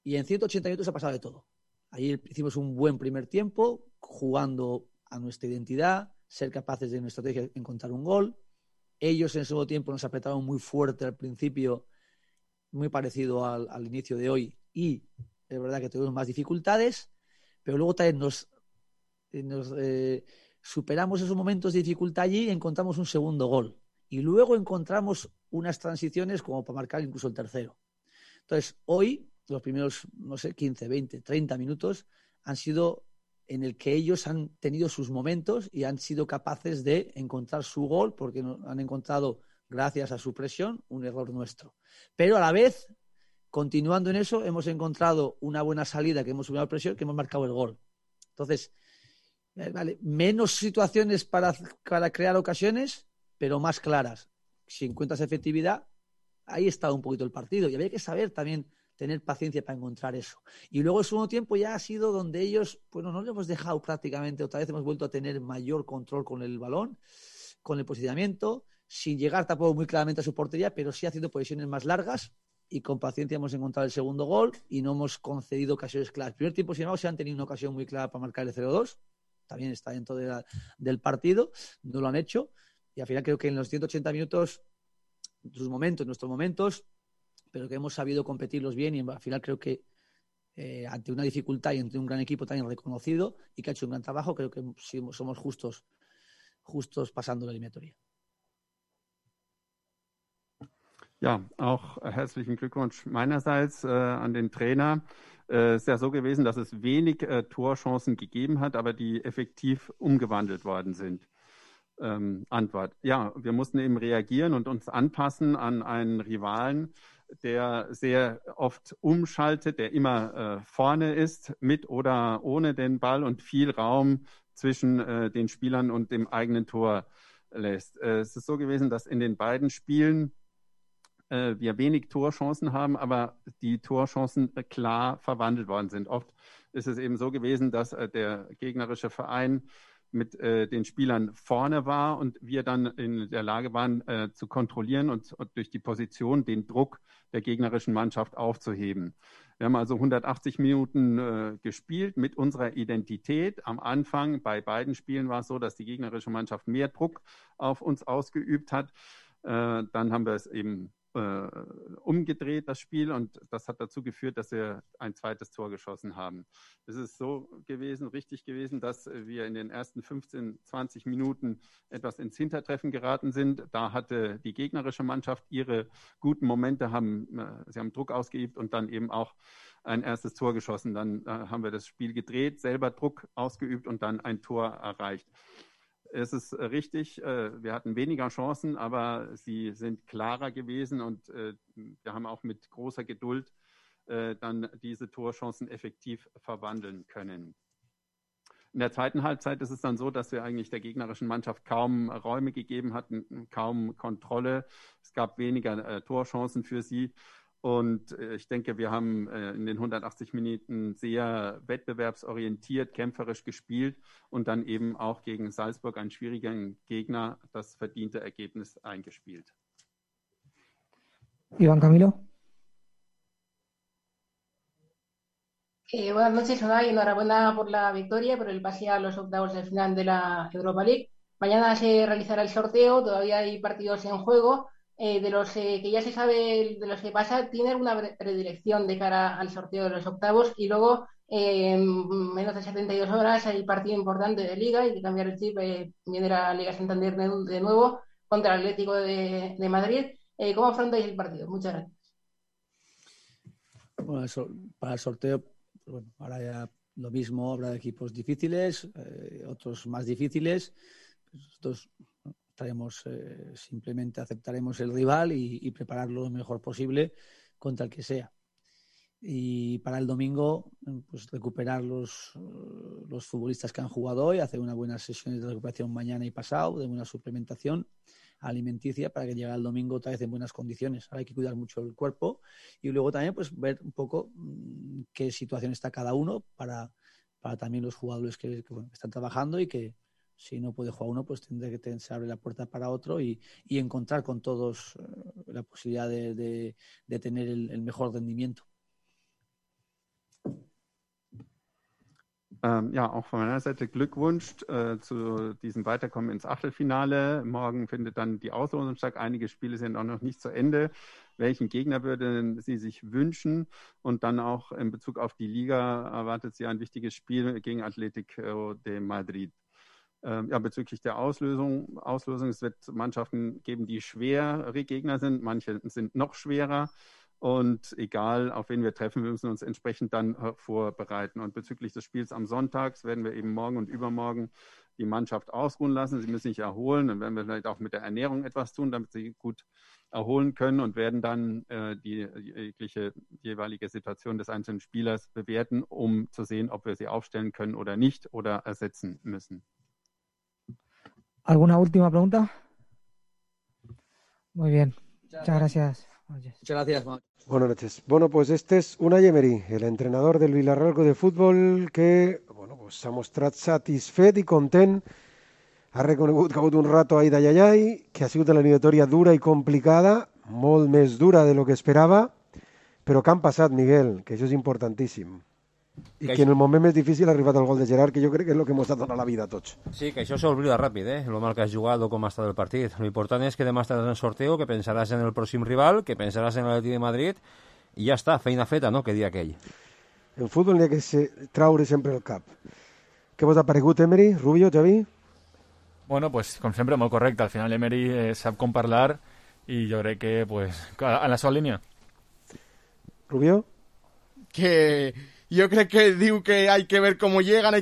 Y en 180 minutos ha pasado de todo. Ahí hicimos un buen primer tiempo, jugando a nuestra identidad, ser capaces de nuestra estrategia encontrar un gol. Ellos en el segundo tiempo nos apretaron muy fuerte al principio, muy parecido al inicio de hoy, y es verdad que tuvimos más dificultades, pero luego también nos superamos esos momentos de dificultad allí y encontramos un segundo gol. Y luego encontramos unas transiciones como para marcar incluso el tercero. Entonces, hoy, los primeros, 15, 20, 30 minutos han sido en el que ellos han tenido sus momentos y han sido capaces de encontrar su gol, porque han encontrado, gracias a su presión, un error nuestro. Pero a la vez, continuando en eso, hemos encontrado una buena salida, que hemos subido la presión, que hemos marcado el gol. Entonces, menos situaciones para crear ocasiones, pero más claras. Si encuentras efectividad, ahí está un poquito el partido. Y había que saber también tener paciencia para encontrar eso. Y luego el segundo tiempo ya ha sido donde ellos, no lo hemos dejado prácticamente, otra vez hemos vuelto a tener mayor control con el balón, con el posicionamiento, sin llegar tampoco muy claramente a su portería, pero sí haciendo posiciones más largas, y con paciencia hemos encontrado el segundo gol y no hemos concedido ocasiones claras. El primer tiempo, sin embargo, se han tenido una ocasión muy clara para marcar el 0-2, también está dentro del partido, no lo han hecho, y al final creo que en los 180 minutos, nuestros momentos, pero que hemos sabido competirlos bien, y al final creo que ante una dificultad y ante un gran equipo también reconocido y que ha hecho un gran trabajo, creo que sí, somos justos pasando la eliminatoria. Ja, auch herzlichen Glückwunsch meinerseits an den Trainer. Es ist ja so gewesen, dass es wenig Torchancen gegeben hat, aber die effektiv umgewandelt worden sind. Antwort. Ja, wir mussten eben reagieren und uns anpassen an einen Rivalen, der sehr oft umschaltet, der immer vorne ist, mit oder ohne den Ball und viel Raum zwischen den Spielern und dem eigenen Tor lässt. Es ist so gewesen, dass in den beiden Spielen wir wenig Torchancen haben, aber die Torchancen klar verwandelt worden sind. Oft ist es eben so gewesen, dass der gegnerische Verein mit den Spielern vorne war und wir dann in der Lage waren, zu kontrollieren und durch die Position den Druck der gegnerischen Mannschaft aufzuheben. Wir haben also 180 Minuten gespielt mit unserer Identität. Am Anfang bei beiden Spielen war es so, dass die gegnerische Mannschaft mehr Druck auf uns ausgeübt hat. Dann haben wir es eben umgedreht, das Spiel, und das hat dazu geführt, dass wir ein zweites Tor geschossen haben. Es ist so gewesen, richtig gewesen, dass wir in den ersten 15, 20 Minuten etwas ins Hintertreffen geraten sind. Da hatte die gegnerische Mannschaft ihre guten Momente, sie haben Druck ausgeübt und dann eben auch ein erstes Tor geschossen. Dann haben wir das Spiel gedreht, selber Druck ausgeübt und dann ein Tor erreicht. Es ist richtig, wir hatten weniger Chancen, aber sie sind klarer gewesen und wir haben auch mit großer Geduld dann diese Torchancen effektiv verwandeln können. In der zweiten Halbzeit ist es dann so, dass wir eigentlich der gegnerischen Mannschaft kaum Räume gegeben hatten, kaum Kontrolle. Es gab weniger Torchancen für sie. Und ich denke, wir haben in den 180 Minuten sehr wettbewerbsorientiert, kämpferisch gespielt und dann eben auch gegen Salzburg, einen schwierigen Gegner, das verdiente Ergebnis eingespielt. Iván Camilo. Buenas noches, Unai. Enhorabuena por la victoria, por el pase a los octavos de final de la Europa League. Mañana se realizará el sorteo, todavía hay partidos en juego. De los que ya se sabe de los que pasa, ¿tiene alguna predilección de cara al sorteo de los octavos? Y luego, en menos de 72 horas, hay partido importante de Liga, hay que cambiar el chip, viene la Liga Santander de nuevo contra el Atlético de Madrid. ¿Cómo afrontáis el partido? Muchas gracias. Bueno, para el sorteo, bueno, ahora ya lo mismo, habrá equipos difíciles, otros más difíciles. Nosotros simplemente aceptaremos el rival y prepararlo lo mejor posible contra el que sea. Y para el domingo, pues recuperar los futbolistas que han jugado hoy, hacer unas buenas sesiones de recuperación mañana y pasado, de buena suplementación alimenticia para que llegue el domingo otra vez en buenas condiciones. Ahora hay que cuidar mucho el cuerpo y luego también pues ver un poco qué situación está cada uno para también los jugadores que están trabajando y que si no puede jugar uno, pues tendrá que se abre la puerta para otro y encontrar con todos la posibilidad de tener el mejor rendimiento. Ja, auch von meiner Seite Glückwunsch zu diesem Weiterkommen ins Achtelfinale. Morgen findet dann die Auslosung statt. Einige Spiele sind auch noch nicht zu Ende. Welchen Gegner würden Sie sich wünschen? Und dann auch in Bezug auf die Liga erwartet Sie ein wichtiges Spiel gegen Atlético de Madrid. Ja, bezüglich der Auslosung, es wird Mannschaften geben, die schwere Gegner sind. Manche sind noch schwerer. Und egal, auf wen wir treffen, wir müssen uns entsprechend dann vorbereiten. Und bezüglich des Spiels am Sonntag werden wir eben morgen und übermorgen die Mannschaft ausruhen lassen. Sie müssen sich erholen. Dann werden wir vielleicht auch mit der Ernährung etwas tun, damit sie gut erholen können und werden dann die jeweilige Situation des einzelnen Spielers bewerten, um zu sehen, ob wir sie aufstellen können oder nicht oder ersetzen müssen. ¿Alguna última pregunta? Muy bien. Muchas gracias. Muchas gracias, Mauro. Buenas noches. Bueno, pues este es Unai Emery, el entrenador del Villarreal Club de Futbol, que pues s'ha mostrat satisfet i content. Ha reconegut que ha hagut un rato ahí d'ayayay, que ha sigut una eliminatòria dura i complicada, molt més dura de lo que esperava, però que han passat, Miguel, que això és importantíssim. I que en el moment més difícil ha arribat el gol de Gerard, que jo crec que és el que ens ha donat la vida a tots. Sí, que això s'oblida ràpid, lo mal que has jugat o com ha estat el partit. Lo important és que demà estaràs en el sorteo, que pensaràs en el pròxim rival, que pensaràs en l'Atlètic de Madrid, i ja està, feina feta, no?, que dia aquell. En futbol n'hi ha que traure sempre el cap. Què vos ha paregut, Emery, Rubio, Xavi? Bueno, pues com sempre, molt correcte. Al final Emery sap com parlar i jo crec que, pues, en la seva línia. Rubio? Que jo crec que diu que hay que ver cómo llegan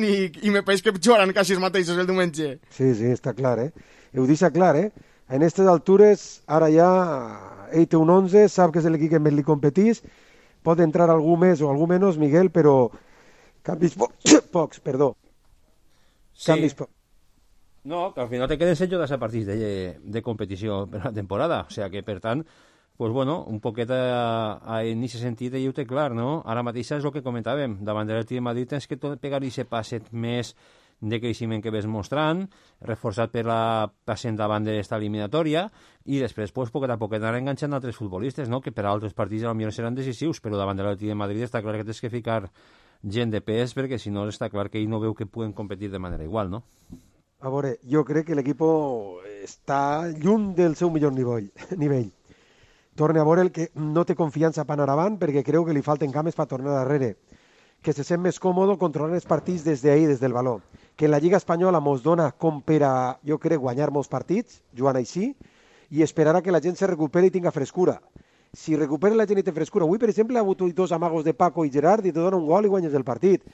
i me pareix que jugaran quasi els mateixos el diumenge. Sí, està clar, Ho deixa clar, En aquestes altures, ara ja ell té un 11, sap que és l'equip que més li competís, pot entrar algú més o algú menys, Miguel, però canvis pocs, perdó. Canvis pocs. No, que al final te queden 6 jugadors a partits de competició per la temporada, o sea que, per tant, pues bueno, un poquet en aquest sentit ell ho té clar, no? Ara mateix és el que comentàvem, davant de l'Atlètic de Madrid tens que pegar aquest passet més de creixement que ves mostrant, reforçat per la passant davant d'esta eliminatòria, i després, pues, poquet a poquet anar enganxant altres futbolistes, no? Que per a altres partits potser seran decisius, però davant de l'Atlètic de Madrid està clar que tens que ficar gent de pes, perquè si no està clar que ell no veu que puguen competir de manera igual, no? A veure, jo crec que l'equip està lluny del seu millor nivell. Torna a veure el que no té confiança per anar avant perquè creu que li falten cames per tornar darrere. Que se sent més còmode controlant els partits des d'ahir, des del valor. Que en la Lliga Espanyola mos dona com per a, jo crec, guanyar molts partits, jugant així, i esperar que la gent se recuperi i tinga frescura. Si recupera la gent i té frescura, avui, per exemple, ha hagut 2 amagos de Paco i Gerard i te dona un gol i guanyes el partit.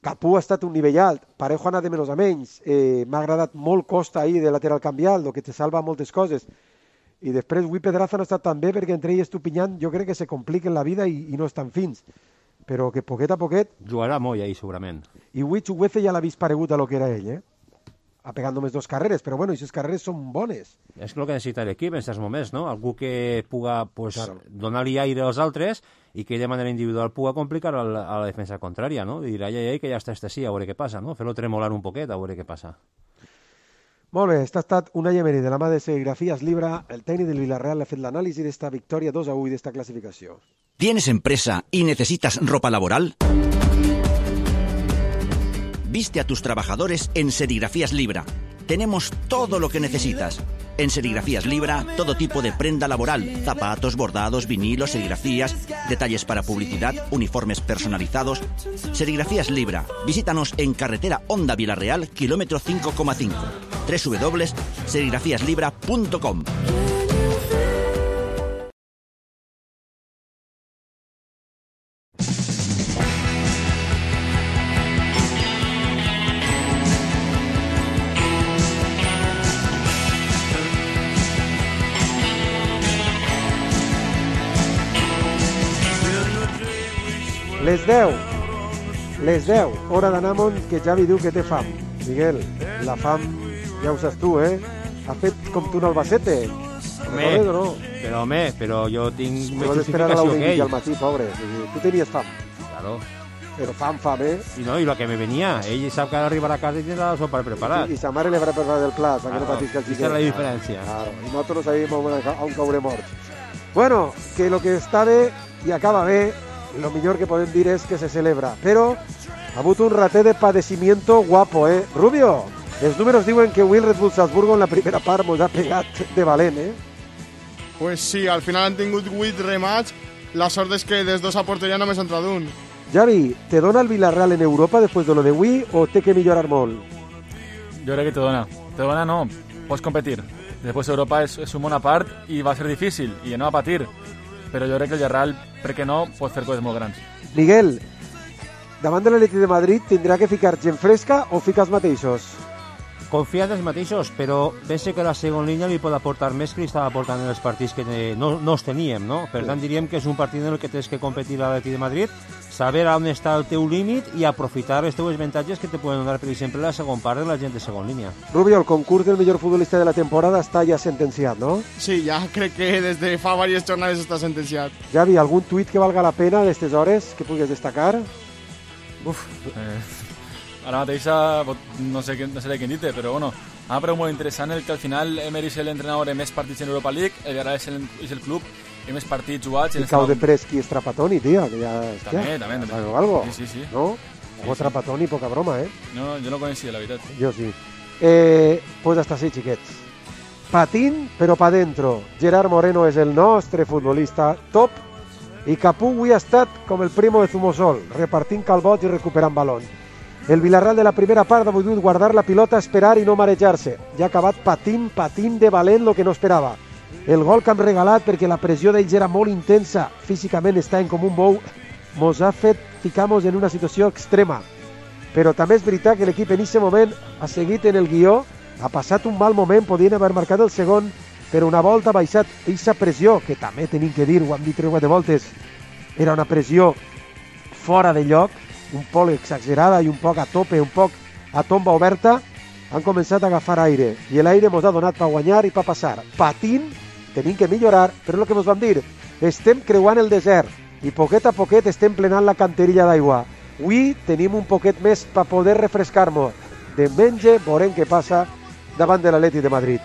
Capú ha estat un nivell alt, Parejo ha anat de menys a menys, m'ha agradat molt Costa ahir de lateral canvial, el que te salva moltes coses. i després avui Pedraza no ha estat tan bé perquè entre ell i Estupinyán jo crec que se compliquen la vida i no estan fins, però que poquet a poquet... Jugarà molt ahí, segurament. I avui Chuguece ja l'ha vist paregut a lo que era ell, Ha pegat només 2 carreres, però bueno, aquestes carreres són bones. És el que necessita l'equip en aquests moments, no? Algú que puga donar-li aire als altres i que de manera individual puga complicar a la defensa contrària, no? I dir, ai, que ja està sí, a veure què passa, no? Fer-lo tremolar un poquet, a veure què passa. Molt bé, ha estat Unai Emery de la mà de Serigrafías Libra, el tècnic del Villarreal ha fet l'anàlisi d'esta victòria 2-1 d'esta classificació. ¿Tienes empresa y necesitas ropa laboral? Viste a tus trabajadores en Serigrafías Libra. Tenemos todo lo que necesitas. En Serigrafías Libra, todo tipo de prenda laboral, zapatos, bordados, vinilos, serigrafías, detalles para publicidad, uniformes personalizados. Serigrafías Libra. Visítanos en carretera Honda Villarreal, kilómetro 5,5. www.serigrafíaslibra.com. Les 10, hora d'anar amunt, que Javi diu que té fam. Miguel, la fam, ja ho saps tu, Ha fet com tu en Albacete. Però jo tinc més justificació que ell. Al matí, pobre. Tu tenies fam. Claro. Però fam, I lo que me venia. Ell sap que ha d'arribar a casa i tindrà la sopa preparat. I sa mare li haurà preparat el plat, perquè no patisca el xiquet. Esa es la diferència. Claro. I nosaltres no sabíem on caurem morts. Bueno, que lo que està bé i acaba bé, lo millor que podem dir és que se celebra, però ha hagut un raté de padecimiento guapo, Rubio, els números diuen que Will Red Bull Salzburgo en la primera part mos ha pegat de valent, Pues sí, al final han tingut 8 remats, la sort és que des 2 a porteria només ha entrat un. Javi, ¿te dona el Villarreal en Europa después de lo de Wii o té que millorar molt? Jo crec que te dona. Te dona no, pots competir. Después Europa és un món a part i va ser difícil i no va patir. Però jo crec que el Villarreal, per què no, pot fer coses molt grans. Miguel, davant de l'Atleti de Madrid tindrà que ficar gent fresca o ficar els mateixos? Confia en els mateixos, però pense que la segona línia li pot aportar més que li estava aportant en els partits que no els teníem, no? Per tant, diríem que és un partit en el que tens que competir a l'Atleti de Madrid, saber on està el teu límit i aprofitar els teus avantatges que te poden donar, per exemple, la segona part de la gent de segona línia. Rubio, el concurs del millor futbolista de la temporada està ja sentenciat, no? Sí, ja crec que des de fa diverses jornades està sentenciat. Javi, algun tuit que valga la pena d'estes hores que puguis destacar? Ara mateix no sé quin dir-te, però bueno, m'ha paregut molt interessant el que al final Emery és l'entrenador de més partits en Europa League, el Villarreal és el club i més partits jugats. I cau de Presqui és Trapattoni, tio, que ja... També. Algo? Sí. No? O Trapattoni, poca broma, No, jo no coneixia, la veritat. Jo sí. Pues hasta así, xiquets. Patín, però pa dentro. Gerard Moreno és el nostre futbolista top i Capú avui ha estat com el primo de Zumosol, repartint calbots i recuperant balons. El Villarreal de la primera part ha volgut guardar la pilota, esperar i no marejar-se. Ja ha acabat patint de valent lo que no esperava. El gol que hem regalat, perquè la pressió d'ells era molt intensa, físicament estaven com un bou, mos ha fet ficar-nos en una situació extrema. Però també és veritat que l'equip en aquest moment ha seguit en el guió, ha passat un mal moment, podien haver marcat el segon, però una volta ha baixat aquesta pressió, que també tenim que dir, ho hem dit 3 voltes, era una pressió fora de lloc, un poc exagerada i un poc a tope, un poc a tomba oberta, han començat a agafar aire i l'aire ens ha donat per guanyar i per passar. Patint, tenim que millorar, però el que ens vam dir, estem creuant el desert i poquet a poquet estem plenant la canterilla d'aigua. Avui tenim un poquet més per poder refrescar-nos. Diumenge veurem què passa davant de l'Atleti de Madrid.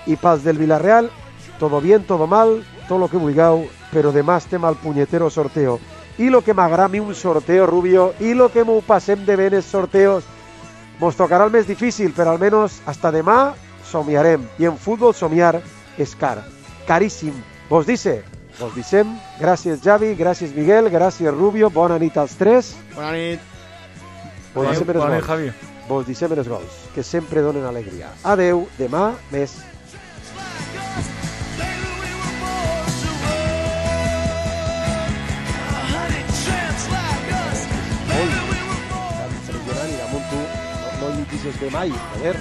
I pels del Villarreal, todo bien, todo mal, tot lo que vulgueu, però demà estem al punyetero sorteo. I lo que m'agrada a mi un sorteo, Rubio, i lo que m'ho passem de bé en els sorteos, mos tocarà el més difícil, però almenys hasta demà somiarem. I en futbol somiar és car, caríssim. Vos dissem, gràcies Javi, gràcies Miguel, gràcies Rubio, bona nit als tres. Bona nit. Bona nit, Javi. Vos dissem els gols, que sempre donen alegria. Adeu, demà més. Impressionant i damunt tu no lluitis de mai, a veure.